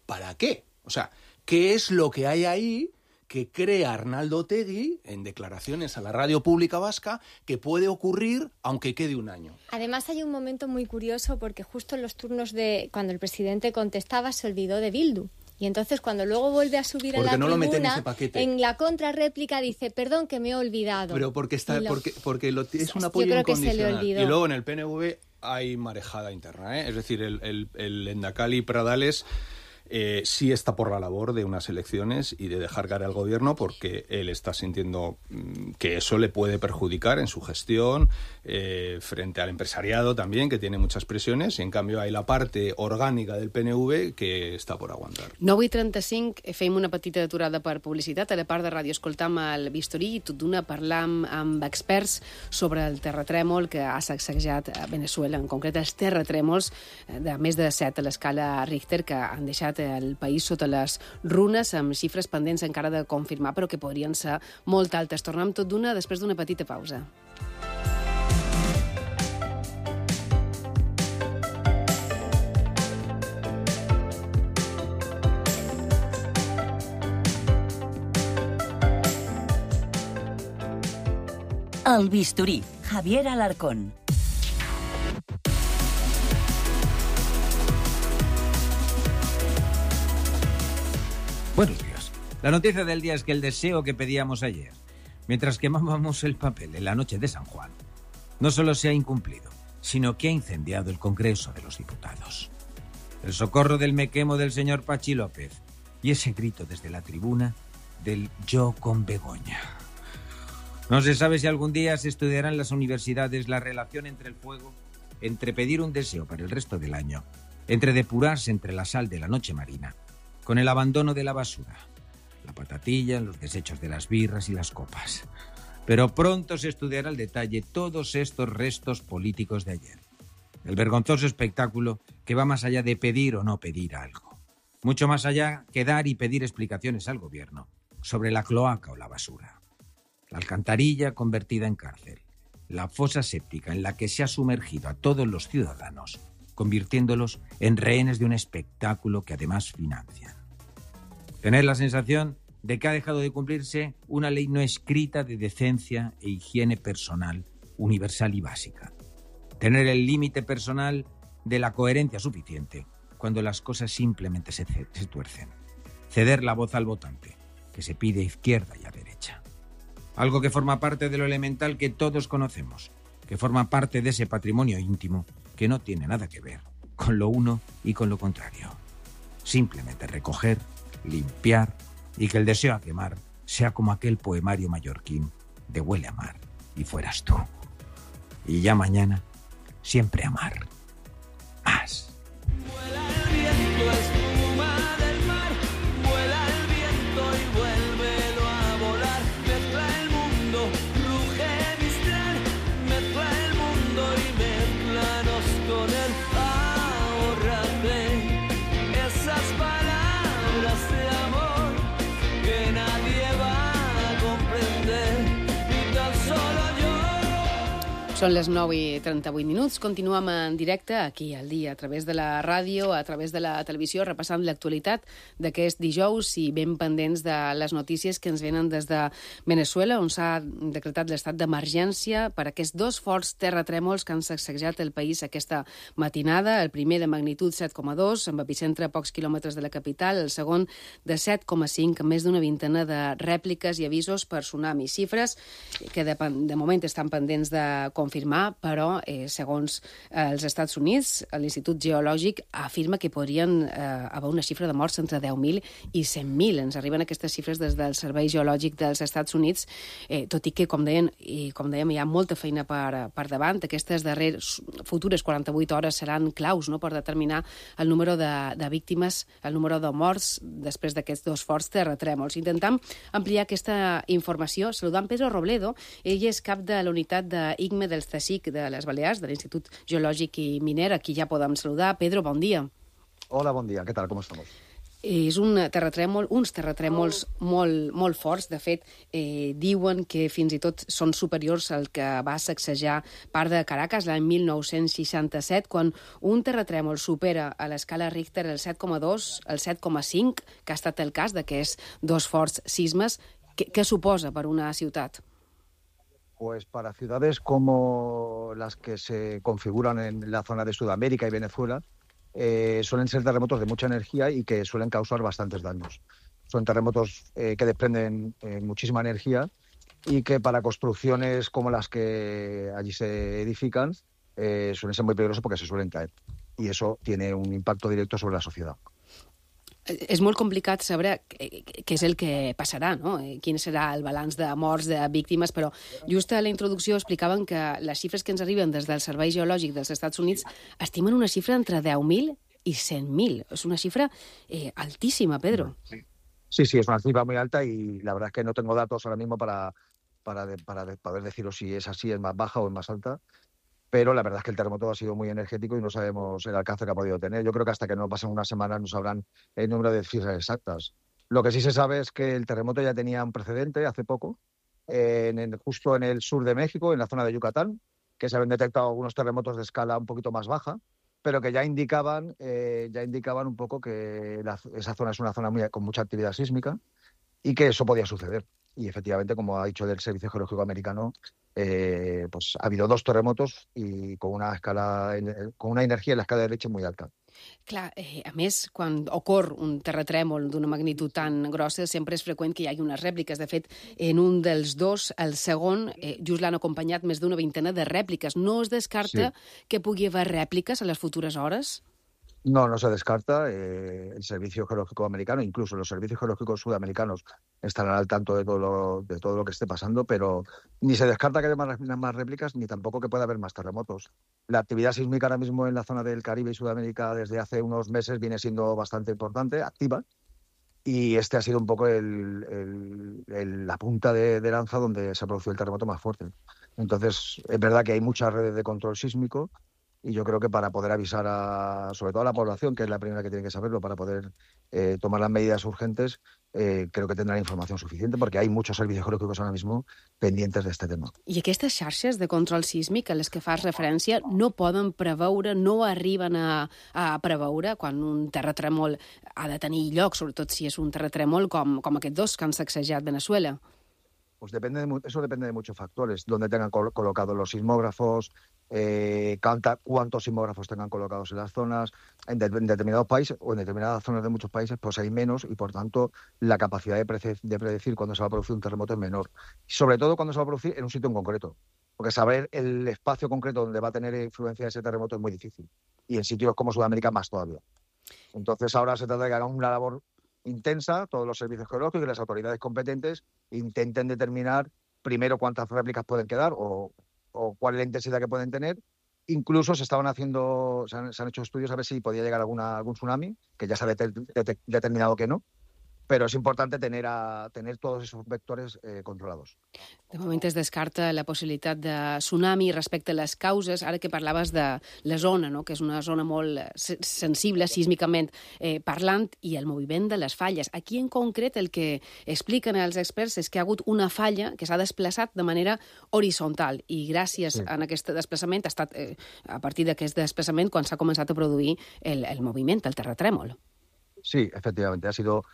¿para qué? O sea, ¿qué es lo que hay ahí que crea Arnaldo Otegi en declaraciones a la radio pública vasca que puede ocurrir aunque quede un año? Además hay un momento muy curioso porque justo en los turnos de cuando el presidente contestaba se olvidó de Bildu. Y entonces cuando luego vuelve a subir porque a la no tribuna, lo mete en ese paquete. En la contrarréplica dice, perdón que me he olvidado. Pero porque está lo... porque, porque lo, es un apoyo Yo creo que se le incondicional. olvidó. Y luego en el P N V hay marejada interna, ¿eh? Es decir, el, el, el Endacali Pradales eh, sí está por la labor de unas elecciones y de dejar caer al gobierno porque él está sintiendo mmm, que eso le puede perjudicar en su gestión eh, frente al empresariado también, que tiene muchas presiones, y en cambio hay la parte orgànica del P N V que està por aguantar. nou i trenta-cinc, fem una petita aturada per publicitat. A la part de ràdio escoltam el Bistorí i tot d'una parlam amb experts sobre el terratrèmol que ha sacsejat a Venezuela, en concret els terratrèmols de més de set a l'escala Richter que han deixat el país sota les runes, amb xifres pendents encara de confirmar, però que podrien ser molt altes. Tornem tot d'una després d'una petita pausa. El Bisturí, Javier Alarcón. Buenos días. La noticia del día es que el deseo que pedíamos ayer, mientras quemábamos el papel en la noche de San Juan, no solo se ha incumplido, sino que ha incendiado el Congreso de los Diputados. El socorro del me quemo del señor Pachi López y ese grito desde la tribuna del yo con Begoña. No se sabe si algún día se estudiará en las universidades la relación entre el fuego, entre pedir un deseo para el resto del año, entre depurarse entre la sal de la noche marina, con el abandono de la basura, la patatilla, los desechos de las birras y las copas. Pero pronto se estudiará al detalle todos estos restos políticos de ayer. El vergonzoso espectáculo que va más allá de pedir o no pedir algo. Mucho más allá que dar y pedir explicaciones al gobierno sobre la cloaca o la basura. La alcantarilla convertida en cárcel. La fosa séptica en la que se ha sumergido a todos los ciudadanos, convirtiéndolos en rehenes de un espectáculo que además financian. Tener la sensación de que ha dejado de cumplirse una ley no escrita de decencia e higiene personal universal y básica. Tener el límite personal de la coherencia suficiente cuando las cosas simplemente se, se tuercen. Ceder la voz al votante, que se pide a izquierda y a derecha. Algo que forma parte de lo elemental que todos conocemos, que forma parte de ese patrimonio íntimo que no tiene nada que ver con lo uno y con lo contrario. Simplemente recoger, limpiar y que el deseo a quemar sea como aquel poemario mallorquín de Huele a mar y fueras tú. Y ya mañana, siempre amar. Más. Vuela el viento, espuma del mar, vuela el viento y vuélvelo a volar. Mezcla el mundo, ruge Mistral, mezcla el mundo y mezclanos con él. Ahórrate esas palabras de amor que nadie va a comprender, ni tan solo yo. Són les nou i trenta-vuit minuts. Continuem en directe aquí al dia, a través de la ràdio, a través de la televisió, repassant l'actualitat d'aquest dijous i ben pendents de les notícies que ens venen des de Venezuela, on s'ha decretat l'estat d'emergència per aquests dos forts terratrèmols que han sacsejat el país aquesta matinada. El primer de magnitud set coma dos, amb epicentre a pocs quilòmetres de la capital, el segon de set coma cinc, amb més d'una vintena de rèpliques i avisos per tsunami. Xifres que de, de moment estan pendents de confirmar, però eh, segons eh, els Estats Units, l'Institut Geològic afirma que podrien eh, haver una xifra de morts entre deu mil i cent mil. Ens arriben aquestes xifres des del Servei Geològic dels Estats Units, eh, tot i que, com deien, i com dèiem, hi ha molta feina per, per davant. Aquestes darreres futures quaranta-vuit hores seran claus, no?, per determinar el número de, de víctimes, el número de morts després d'aquests dos forts terratrèmols. Intentem ampliar aquesta informació saludant Pedro Robledo. Ell és cap de la unitat d'I C M E del C S I C de les Balears, de l'Institut Geològic i Miner. Aquí ja podem saludar. Pedro, bon dia. Hola, bon dia. ¿Qué tal? ¿Cómo estamos? És un terratrèmol, uns terratrèmols molt, molt forts. De fet, eh, diuen que fins i tot són superiors al que va sacsejar part de Caracas l'any mil nou-cents seixanta-set, quan un terratrèmol supera a l'escala Richter el set coma dos, el set coma cinc, que ha estat el cas d'aquests dos forts sismes. Què, què suposa per una ciutat? Pues para ciudades como las que se configuran en la zona de Sudamérica y Venezuela, eh, suelen ser terremotos de mucha energía y que suelen causar bastantes daños. Son terremotos eh, que desprenden eh, muchísima energía y que para construcciones como las que allí se edifican eh, suelen ser muy peligrosos porque se suelen caer. Y eso tiene un impacto directo sobre la sociedad. És molt complicat saber què és el que passarà, no? Quin serà el balanç de morts, de víctimes, però just a la introducció explicaven que les xifres que ens arriben des del Servei Geològic dels Estats Units estimen una xifra entre deu mil i cent mil. És una xifra eh, altíssima, Pedro. Sí. sí, sí, es una cifra muy alta y la verdad es que no tengo datos ahora mismo para, para, de, para de poder deciros si es así, es más baja o es más alta. Pero la verdad es que el terremoto ha sido muy energético y no sabemos el alcance que ha podido tener. Yo creo que hasta que no pasen unas semanas no sabrán el número de cifras exactas. Lo que sí se sabe es que el terremoto ya tenía un precedente hace poco, eh, en el, justo en el sur de México, en la zona de Yucatán, que se habían detectado algunos terremotos de escala un poquito más baja, pero que ya indicaban, eh, ya indicaban un poco que la, esa zona es una zona muy, con mucha actividad sísmica y que eso podía suceder. Y efectivamente, como ha dicho el Servicio Geológico Americano, eh, pues ha habido dos terremotos y con una escala, con una energía en la escala de Richter muy alta. Clar, eh, a més, quan ocorre un terratrèmol d'una magnitud tan grossa, sempre és freqüent que hi hagi unes rèpliques. De fet, en un dels dos, el segon, eh, just l'han acompanyat més d'una vintena de rèpliques. No es descarta sí. que pugui haver rèpliques a les futures hores? No, no se descarta. Eh, el Servicio Geológico Americano, incluso los servicios geológicos sudamericanos, estarán al tanto de todo lo, de todo lo que esté pasando, pero ni se descarta que haya más, más réplicas, ni tampoco que pueda haber más terremotos. La actividad sísmica ahora mismo en la zona del Caribe y Sudamérica desde hace unos meses viene siendo bastante importante, activa, y este ha sido un poco el, el, el, la punta de, de lanza donde se ha producido el terremoto más fuerte. Entonces, es verdad que hay muchas redes de control sísmico, y yo creo que para poder avisar a, sobre todo a la población, que es la primera que tiene que saberlo, para poder eh, tomar las medidas urgentes, eh, creo que tendrán información suficiente, perquè hi ha muchos servicios geológicos ahora mismo pendientes de este tema. I aquestes xarxes de control sísmic a les que fas referència no poden preveure, no arriben a, a preveure quan un terratrèmol ha de tenir lloc, sobretot si és un terratrèmol com, com aquests dos que han sacsejat Venezuela? Pues depende de, eso depende de muchos factores, donde tengan col colocados los sismógrafos, eh, cuánta, cuántos sismógrafos tengan colocados en las zonas. En, de, en determinados países o en determinadas zonas de muchos países pues hay menos y por tanto la capacidad de, prece de predecir cuándo se va a producir un terremoto es menor. Y sobre todo cuando se va a producir en un sitio en concreto, porque saber el espacio concreto donde va a tener influencia ese terremoto es muy difícil. Y en sitios como Sudamérica más todavía. Entonces ahora se trata de que hagan una labor intensa, todos los servicios geológicos y las autoridades competentes intenten determinar primero cuántas réplicas pueden quedar o, o cuál es la intensidad que pueden tener. Incluso se estaban haciendo, se han, se han hecho estudios a ver si podía llegar alguna, algún tsunami, que ya se ha det det determinado que no, però és important tener, a, tener todos esos vectores eh, controlados. De moment es descarta la possibilitat de tsunami respecte a les causes, ara que parlaves de la zona, no? Que és una zona molt sensible sísmicament eh, parlant, i el moviment de les falles. Aquí en concret el que expliquen els experts és que hi ha hagut una falla que s'ha desplaçat de manera horitzontal i gràcies sí. a aquest desplaçament ha estat eh, a partir d'aquest desplaçament quan s'ha començat a produir el, el moviment, el terratrèmol. Sí, efectivamente, ha sido...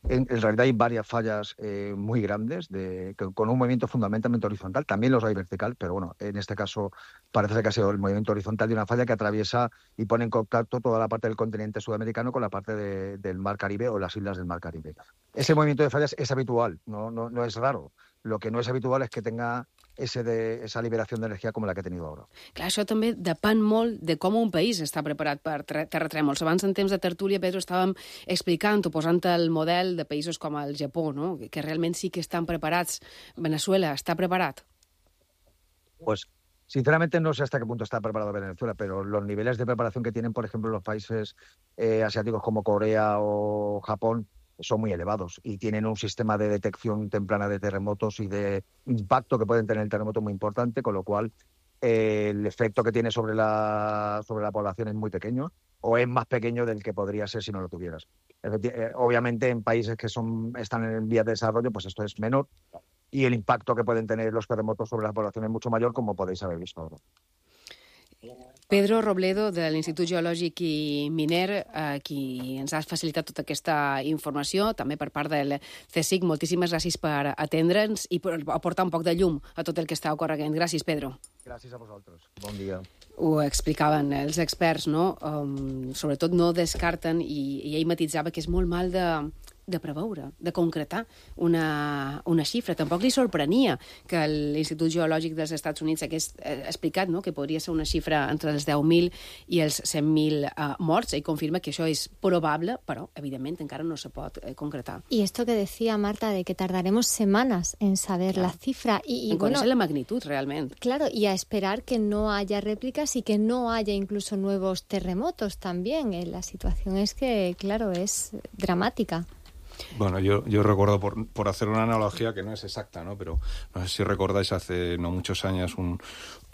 En, en realidad hay varias fallas eh, muy grandes de, que, con un movimiento fundamentalmente horizontal. También los hay vertical, pero bueno, en este caso parece que ha sido el movimiento horizontal de una falla que atraviesa y pone en contacto toda la parte del continente sudamericano con la parte de, del Mar Caribe o las islas del Mar Caribe. Ese movimiento de fallas es habitual, no, no, no es raro. Lo que no és habitual és que tenga ese de, esa liberació d'energia com la que ha tenido ara. Clar, això també depèn molt de com un país està preparat per terratrèmols. Abans, en temps de tertúlia, Pedro, estàvem explicant o posant el model de països com el Japó, ¿no? Que realment sí que estan preparats. Venezuela està preparat? Pues, sinceramente, no sé hasta qué punto está preparado Venezuela, pero los niveles de preparación que tienen, por ejemplo, los países eh, asiáticos como Corea o Japón, son muy elevados y tienen un sistema de detección temprana de terremotos y de impacto que pueden tener el terremoto muy importante, con lo cual eh, el efecto que tiene sobre la, sobre la población es muy pequeño o es más pequeño del que podría ser si no lo tuvieras. Obviamente en países que son, están en vías de desarrollo, pues esto es menor y el impacto que pueden tener los terremotos sobre la población es mucho mayor, como podéis haber visto ahora. Pedro Robledo, de l'Institut Geològic i Miner, eh, qui ens ha facilitat tota aquesta informació, també per part del C S I C. Moltíssimes gràcies per atendre'ns i per aportar un poc de llum a tot el que està ocorrent. Gràcies, Pedro. Gràcies a vosaltres. Bon dia. Ho explicaven els experts, no? Um, sobretot no descarten, i, i ell matitzava que és molt mal de... de preveure, de concretar una, una xifra. Tampoc li sorprenia que l'Institut Geològic dels Estats Units hagués eh, explicat, no?, que podria ser una xifra entre els deu mil i els cent mil eh, morts. Ell confirma que això és probable, però, evidentment, encara no se pot eh, concretar. Y esto que decía Marta, de que tardaremos semanas en saber claro. la cifra. Y, y en bueno, conocer la magnitud, realmente. Claro, y a esperar que no haya réplicas y que no haya incluso nuevos terremotos también. Eh, la situación es que, claro, es dramática. Bueno, yo, yo recuerdo, por, por hacer una analogía que no es exacta, ¿no? Pero no sé si recordáis hace no muchos años un,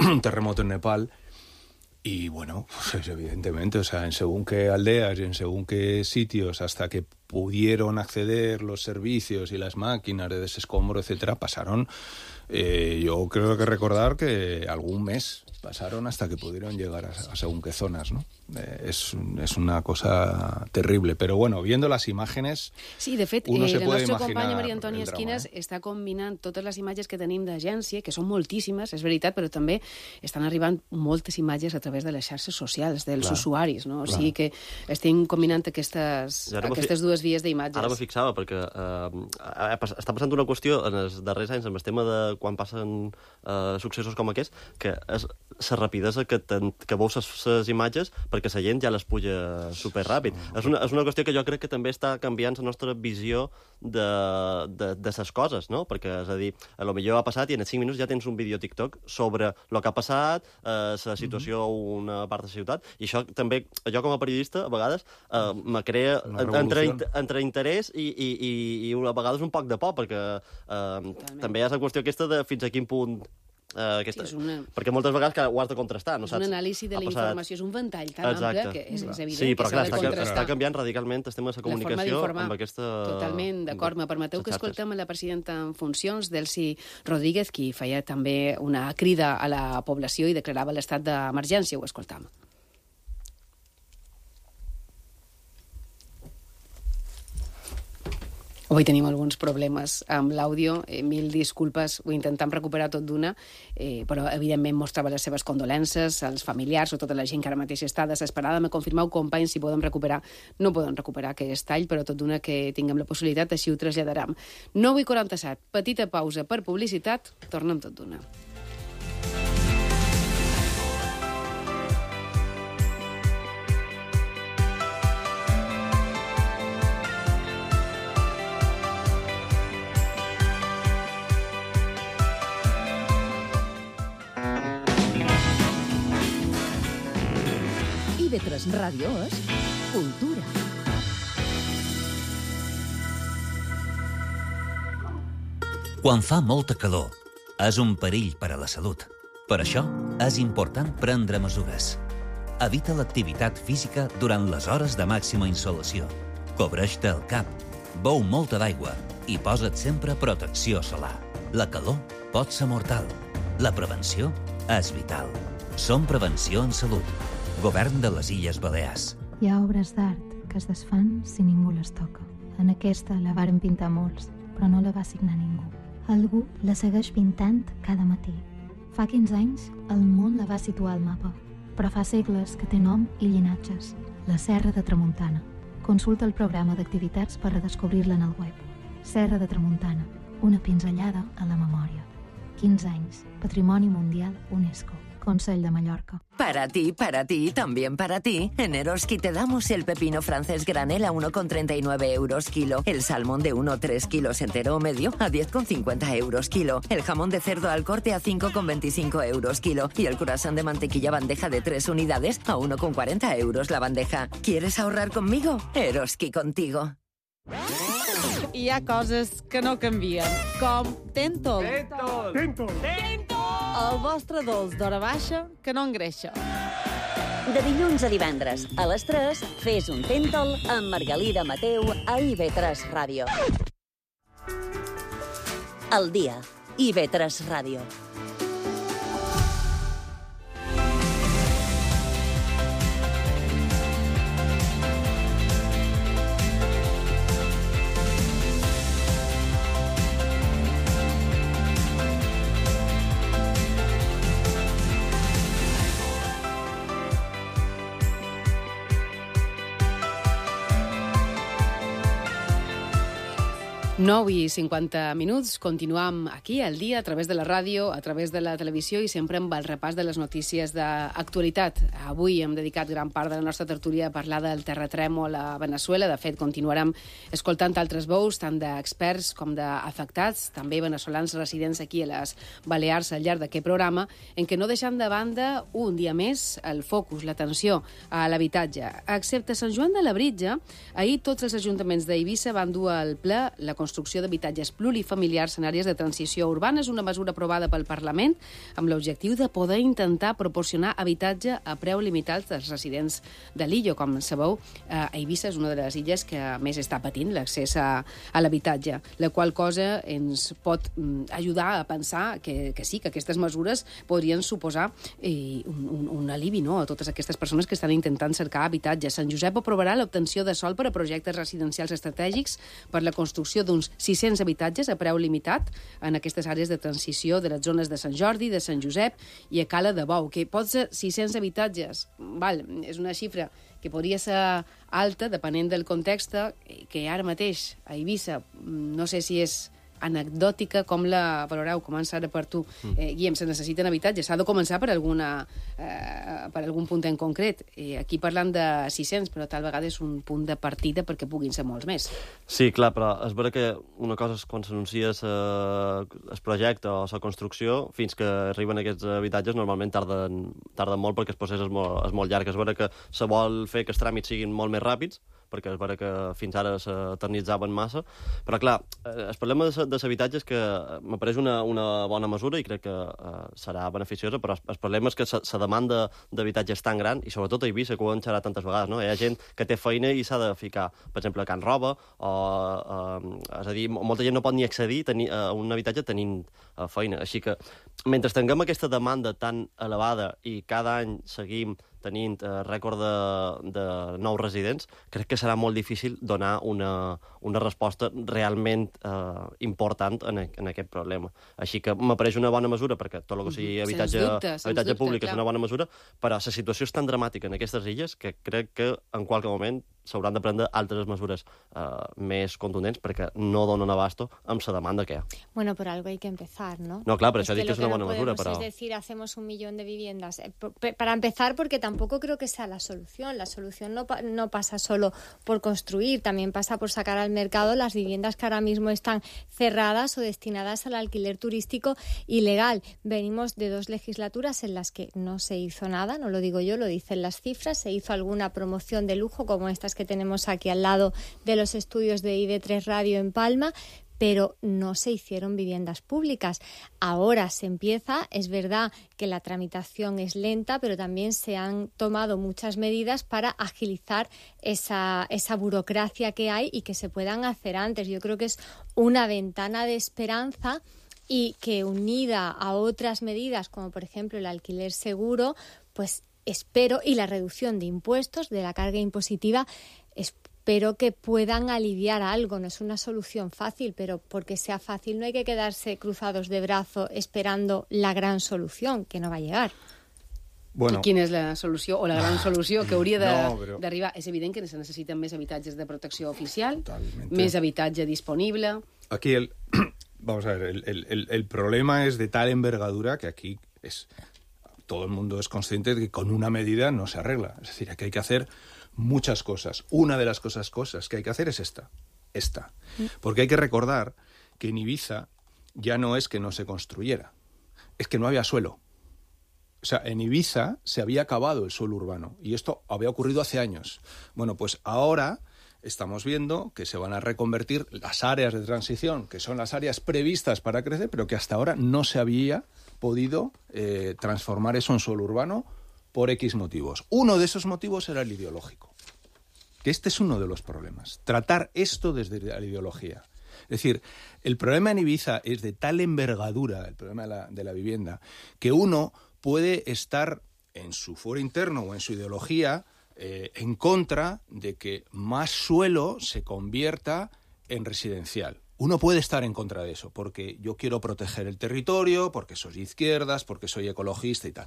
un terremoto en Nepal y, bueno, pues evidentemente, o sea, en según qué aldeas y en según qué sitios, hasta que pudieron acceder los servicios y las máquinas de desescombro, etcétera, pasaron, eh, yo creo que recordar que algún mes pasaron hasta que pudieron llegar a, a según qué zonas, ¿no? Eh, és, és una cosa terrible, però bueno, viendo las imágenes, sí, de fet, uno eh, se la puede nostra imaginar companya Maria Antònia el drama, Esquines eh? està combinant totes les imatges que tenim d'agència, que són moltíssimes, és veritat, però també estan arribant moltes imatges a través de les xarxes socials dels clar, usuaris, no? O clar. sigui que estem combinant aquestes, aquestes dues vies d'imatges. Ara me fixava, perquè eh, està passant una qüestió en els darrers anys amb el tema de quan passen eh, successos com aquest, que és la rapidesa que, ten, que veus les imatges perquè la gent ja les puja superràpid. És una, és una qüestió que jo crec que també està canviant la nostra visió de, de, de les coses, no? Perquè, és a dir, a lo millor ha passat i en cinc minuts ja tens un vídeo TikTok sobre el que ha passat, eh, la situació a una part de la ciutat, i això també, jo com a periodista, a vegades, eh, me crea entre, entre interès i, i, i, i a vegades un poc de por, perquè eh, també hi ha la qüestió aquesta de fins a quin punt Uh, aquesta, sí, una... perquè moltes vegades que ho has de contrastar, no és saps? un anàlisi de la passat... informació, és un ventall tan Exacte. ample que és, és evident sí, però, que s'ha clar, de contrastar. Està canviant radicalment el tema de la comunicació la amb aquesta... Totalment, d'acord. Me permeteu que escoltem a la presidenta en funcions, Delcy Rodríguez, qui feia també una crida a la població i declarava l'estat d'emergència. Ho escoltam. Avui tenim alguns problemes amb l'àudio, eh, mil disculpes, ho intentem recuperar tot d'una, eh, però evidentment mostrava les seves condolences als familiars o tota la gent que ara mateix està desesperada. Me confirmeu, companys, si podem recuperar. No podem recuperar aquest tall, però tot d'una que tinguem la possibilitat, així ho traslladarem. nou i quaranta-set, petita pausa per publicitat, tornem tot d'una. I V tres Ràdio és cultura. Quan fa molta calor, és un perill per a la salut. Per això, és important prendre mesures. Evita l'activitat física durant les hores de màxima insolació. Cobreix-te el cap, beu molta d'aigua i posa't sempre protecció solar. La calor pot ser mortal. La prevenció és vital. Som Prevenció en Salut. Govern de les Illes Balears. Hi ha obres d'art que es desfan si ningú les toca. En aquesta la varen pintar molts, però no la va signar ningú. Algú la segueix pintant cada matí. Fa quinze anys, el món la va situar al mapa, però fa segles que té nom i llinatges. La Serra de Tramuntana. Consulta el programa d'activitats per redescobrir-la en el web. Serra de Tramuntana, una pinzellada a la memòria. quinze anys, Patrimoni Mundial UNESCO. Consell de Mallorca. Para ti, para ti, también para ti. En Eroski te damos el pepino francés granel a uno con treinta y nueve euros kilo, el salmón de uno a tres kilos entero o medio a diez con cincuenta euros kilo, el jamón de cerdo al corte a cinco con veinticinco euros kilo y el croissant de mantequilla bandeja de tres unidades a uno con cuarenta euros la bandeja. ¿Quieres ahorrar conmigo? Eroski contigo. Hi ha coses que no canvien, com Tentol. Tentol. Tentol. El vostre dolç d'hora baixa que no engreixa. De dilluns a divendres, a les tres, fes un Tentol amb Margalida Mateu a I V tres Ràdio. El dia, I V tres Ràdio. nou i cinquanta minuts, continuam aquí al dia a través de la ràdio, a través de la televisió i sempre amb el repàs de les notícies d'actualitat. Avui hem dedicat gran part de la nostra tertúlia a parlar del terratrèmol a Veneçuela. De fet, continuarem escoltant altres veus, tant d'experts com d'afectats, també veneçolans residents aquí a les Balears al llarg d'aquest programa, en què no deixem de banda un dia més el focus, l'atenció a l'habitatge. Excepte Sant Joan de Labritja, ahir tots els ajuntaments d'Eivissa van dur al ple la construcció d'habitatges plurifamiliars en àrees de transició urbana. És una mesura aprovada pel Parlament amb l'objectiu de poder intentar proporcionar habitatge a preu limitat als residents de l'illa. Com sabeu, eh, Eivissa és una de les illes que més està patint l'accés a, a l'habitatge, la qual cosa ens pot mm, ajudar a pensar que, que sí, que aquestes mesures podrien suposar eh, un, un, un alivi, no?, a totes aquestes persones que estan intentant cercar habitatge. Sant Josep aprovarà l'obtenció de sòl per a projectes residencials estratègics per la construcció d'uns sis-cents habitatges a preu limitat en aquestes àrees de transició de les zones de Sant Jordi, de Sant Josep i a Cala de Bou, que pot ser sis-cents habitatges. Val, és una xifra que podria ser alta, depenent del context, que ara mateix a Eivissa no sé si és anecdòtica, com la valoreu? Comença ara per tu. Eh, Guillem, se necessiten habitatges. S'ha de començar per, alguna, eh, per algun punt en concret. Eh, aquí parlant de sis-cents, però tal vegada és un punt de partida perquè puguin ser molts més. Sí, clar, però és vera que una cosa és quan s'anuncia el projecte o la construcció, fins que arriben aquests habitatges, normalment tarden, tarden molt perquè el procés és molt, és molt llarg. És vera que se vol fer que els tràmits siguin molt més ràpids, perquè és vera que fins ara s'eternitzaven massa, però clar, el problema de l'habitatge és que m'apareix una, una bona mesura i crec que uh, serà beneficiosa, però el problema és que la demanda d'habitatge és tan gran, i sobretot a Eivissa, que ho hem xerrat tantes vegades, no? Hi ha gent que té feina i s'ha de ficar, per exemple, a Can Roba, o, uh, és a dir, molta gent no pot ni accedir tenir, a un habitatge tenint uh, feina. Així que, mentre tinguem aquesta demanda tan elevada i cada any seguim tenint eh, rècord de, de nous residents, crec que serà molt difícil donar una, una resposta realment eh, important en, en aquest problema. Així que m'apareix una bona mesura, perquè tot el que sigui habitatge, dubte, habitatge dubte, públic clar. És una bona mesura, però la situació és tan dramàtica en aquestes illes que crec que en qualsevol moment s'hauran de prendre altres mesures eh, més contundents perquè no donen abasto amb la demanda que hi ha. Bueno, por algo hay que empezar, ¿no? No, claro, pero eso es dicho es una buena no mesura. Pero... Es decir, hacemos un millón de viviendas. Eh, para empezar, porque tampoco creo que sea la solución. La solución no, pa no pasa solo por construir, también pasa por sacar al mercado las viviendas que ahora mismo están cerradas o destinadas al alquiler turístico ilegal. Venimos de dos legislaturas en las que no se hizo nada, no lo digo yo, lo dicen las cifras. Se hizo alguna promoción de lujo como estas que tenemos aquí al lado de los estudios de I V tres Radio en Palma, pero no se hicieron viviendas públicas. Ahora se empieza, es verdad que la tramitación es lenta, pero también se han tomado muchas medidas para agilizar esa, esa burocracia que hay y que se puedan hacer antes. Yo creo que es una ventana de esperanza y que unida a otras medidas, como por ejemplo el alquiler seguro, pues espero, y la reducción de impuestos, de la carga impositiva, espero que puedan aliviar algo. No es una solución fácil, pero porque sea fácil no hay que quedarse cruzados de brazo esperando la gran solución, que no va a llegar. Bueno. I quina és la solució, o la gran solució que hauria d'arribar? No, però... És evident que se necessiten més habitatges de protecció oficial, Totalmente. Més habitatge disponible... Aquí el... Vamos a ver, el, el, el problema es de tal envergadura que aquí es... todo el mundo es consciente de que con una medida no se arregla. Es decir, aquí hay que hacer muchas cosas. Una de las cosas, cosas que hay que hacer es esta. Esta. Porque hay que recordar que en Ibiza ya no es que no se construyera, es que no había suelo. O sea, en Ibiza se había acabado el suelo urbano y esto había ocurrido hace años. Bueno, pues ahora estamos viendo que se van a reconvertir las áreas de transición, que son las áreas previstas para crecer, pero que hasta ahora no se había podido eh, transformar eso en suelo urbano por X motivos. Uno de esos motivos era el ideológico. Que este es uno de los problemas. Tratar esto desde la ideología. Es decir, el problema en Ibiza es de tal envergadura, el problema de la, de la vivienda, que uno puede estar en su foro interno o en su ideología eh, en contra de que más suelo se convierta en residencial. Uno puede estar en contra de eso, porque yo quiero proteger el territorio, porque soy de izquierdas, porque soy ecologista y tal.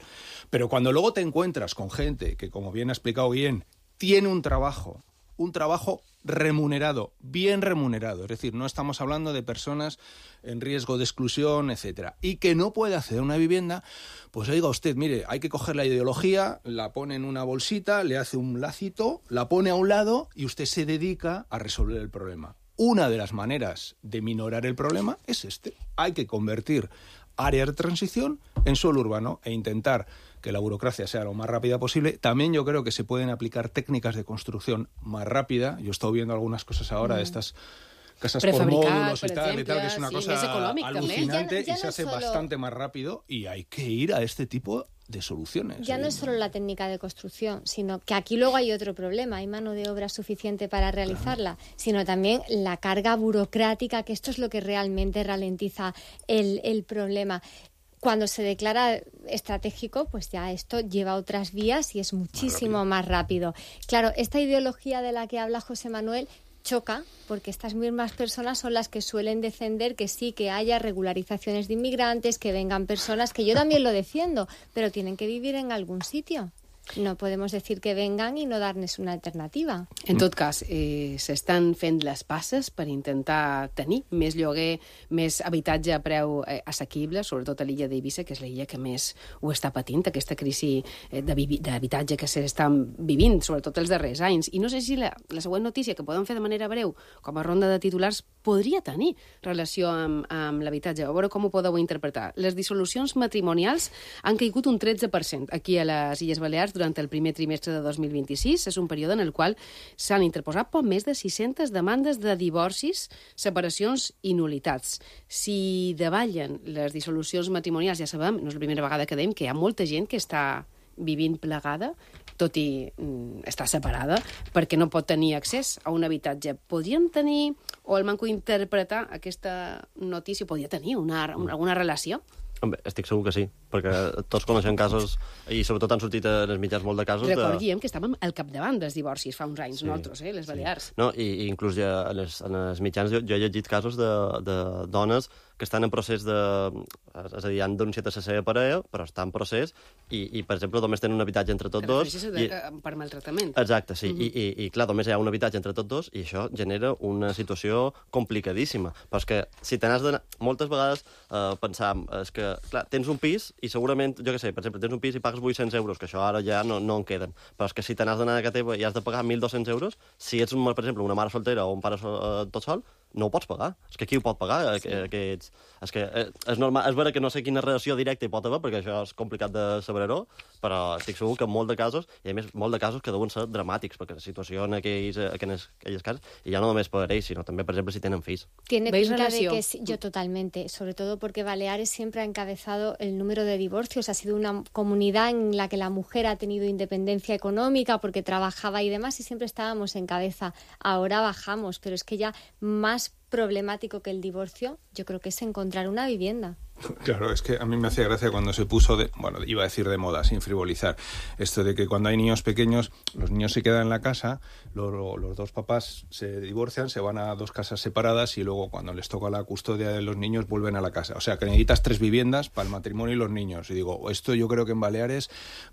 Pero cuando luego te encuentras con gente que, como bien ha explicado Guillén, tiene un trabajo, un trabajo remunerado, bien remunerado, es decir, no estamos hablando de personas en riesgo de exclusión, etcétera, y que no puede hacer una vivienda, pues oiga usted, mire, hay que coger la ideología, la pone en una bolsita, le hace un lacito, la pone a un lado y usted se dedica a resolver el problema. Una de las maneras de minorar el problema es este. Hay que convertir áreas de transición en suelo urbano e intentar que la burocracia sea lo más rápida posible. También yo creo que se pueden aplicar técnicas de construcción más rápida. Yo he estado viendo algunas cosas ahora mm. de estas casas por módulos y tal, y tal, que es una sí, cosa alucinante ya, ya y se no hace solo... bastante más rápido y hay que ir a este tipo de soluciones. Ya no es solo la técnica de construcción, sino que aquí luego hay otro problema, hay mano de obra suficiente para realizarla, claro. sino también la carga burocrática, que esto es lo que realmente ralentiza el, el problema. Cuando se declara estratégico, pues ya esto lleva otras vías y es muchísimo más rápido. más rápido. Claro, esta ideología de la que habla José Manuel choca, porque estas mismas personas son las que suelen defender que sí, que haya regularizaciones de inmigrantes, que vengan personas, que yo también lo defiendo, pero tienen que vivir en algún sitio. No podemos decir que vengan i no dar-nos una alternativa. En tot cas, eh, s'estan fent les passes per intentar tenir més lloguer, més habitatge a preu eh, assequible, sobretot a l'illa d'Eivissa, que és l'illa que més ho està patint, aquesta crisi eh, d'habitatge que s'estan vivint, sobretot els darrers anys. I no sé si la, la següent notícia, que podem fer de manera breu, com a ronda de titulars, podria tenir relació amb, amb l'habitatge. A veure com ho podeu interpretar. Les dissolucions matrimonials han caigut un tretze per cent aquí a les Illes Balears durant el primer trimestre de dos mil vint-i-sis. És un període en el qual s'han interposat poc més de sis-centes demandes de divorcis, separacions i nulitats. Si davallen les dissolucions matrimonials, ja sabem, no és la primera vegada que dèiem, que hi ha molta gent que està vivint plegada, tot i mm, estar separada, perquè no pot tenir accés a un habitatge. Podrien tenir, o el manco interpretar aquesta notícia, podria tenir una, alguna relació? Home, estic segur que sí, perquè tots coneixem casos, i sobretot han sortit en els mitjans molt de casos... Recordíem de... que estàvem al capdavant dels divorcis fa uns anys, sí, nosaltres, eh, les Balears. Sí. No, i, i inclús ja en, els, en els mitjans jo, jo he llegit casos de, de dones que estan en procés de... És a dir, han denunciat a la seva parella, però està en procés, i, i per exemple, només tenen un habitatge entre tots dos... I... per maltractament. Exacte, sí. Mm-hmm. I, i, I, clar, només hi ha un habitatge entre tots dos, i això genera una situació complicadíssima. Però és que, si te n'has d'anar... Moltes vegades eh, pensam, és que, clar, tens un pis, i segurament, jo què sé, per exemple, tens un pis i pagues vuit-cents euros, que això ara ja no, no en queden. Però és que si te n'has d'anar a casa teva i has de pagar mil dos-cents euros, si ets, un, per exemple, una mare soltera o un pare sol, eh, tot sol, no ho pots pagar. És que qui ho pot pagar? Sí. Aquests... És que és normal, és vera que no sé quina relació directa hi pot haver, perquè això és complicat de saber-ho, però estic segur que en molt de casos, i a més, molt de casos que deuen ser dramàtics, perquè la situació en aquells, aquelles, aquelles cases, i ja no només per ells, sinó també, per exemple, si tenen fills. Tiene pinta de que sí, yo totalmente, sobre todo porque Baleares siempre ha encabezado el número de divorcios, ha sido una comunidad en la que la mujer ha tenido independencia económica porque trabajaba y demás, y siempre estábamos en cabeza. Ahora bajamos, pero es que ya más problemático que el divorcio, yo creo que es encontrar una vivienda. Claro, es que a mí me hacía gracia cuando se puso de, bueno, iba a decir de moda, sin frivolizar, esto de que cuando hay niños pequeños, los niños se quedan en la casa, lo, los dos papás se divorcian, se van a dos casas separadas y luego cuando les toca la custodia de los niños vuelven a la casa. O sea, que necesitas tres viviendas para el matrimonio y los niños. Y digo, esto yo creo que en Baleares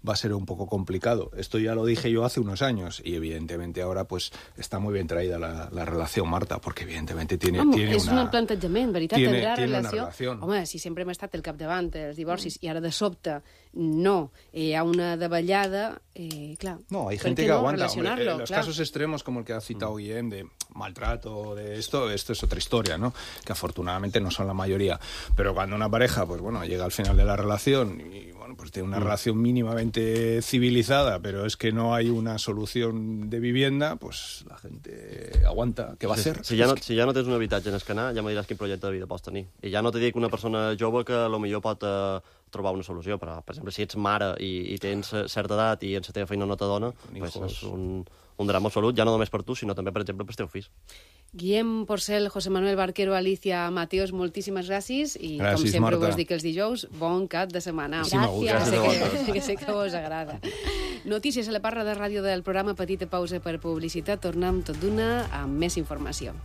va a ser un poco complicado. Esto ya lo dije yo hace unos años y evidentemente ahora pues está muy bien traída la, la relación, Marta, porque evidentemente tiene, Home, tiene és una... un plantejament, veritat, tiene, tindrà tiene relació. Una relación. Home, si sempre hem estat el capdavant dels divorcis mm. i ara de sobte no, hi ha una davallada, eh, clar. No, hay gente que no aguanta. Hombre, en los claro. casos extremos, como el que ha citado Guillem, de maltrato, de esto, esto es otra historia, ¿no? Que afortunadamente no son la mayoría. Pero cuando una pareja, pues bueno, llega al final de la relación y, bueno, pues tiene una mm. relación mínimamente civilizada, pero es que no hay una solución de vivienda, pues la gente aguanta. ¿Qué va a hacer? Si ja no, si ja no tens un habitatge en el canal, ja me diràs quin projecte de vida pots tenir. I ja no te dic una persona jove que a lo millor pot... Eh, trobar una solució, però, per exemple, si ets mare i, i tens certa edat i en la teva feina no t'adona, pues és un, un drama absolut, ja no només per tu, sinó també, per exemple, pels teus fills. Guillem Porcel, José Manuel Barquero, Alicia Mateos, moltíssimes gràcies i, gràcies, com sempre Marta. Us dic els dijous, bon cap de setmana. Gràcies. Que sé que, que sé que us agrada. Notícies a la parra de ràdio del programa Petita pausa per publicitat. Tornem tot d'una amb més informació.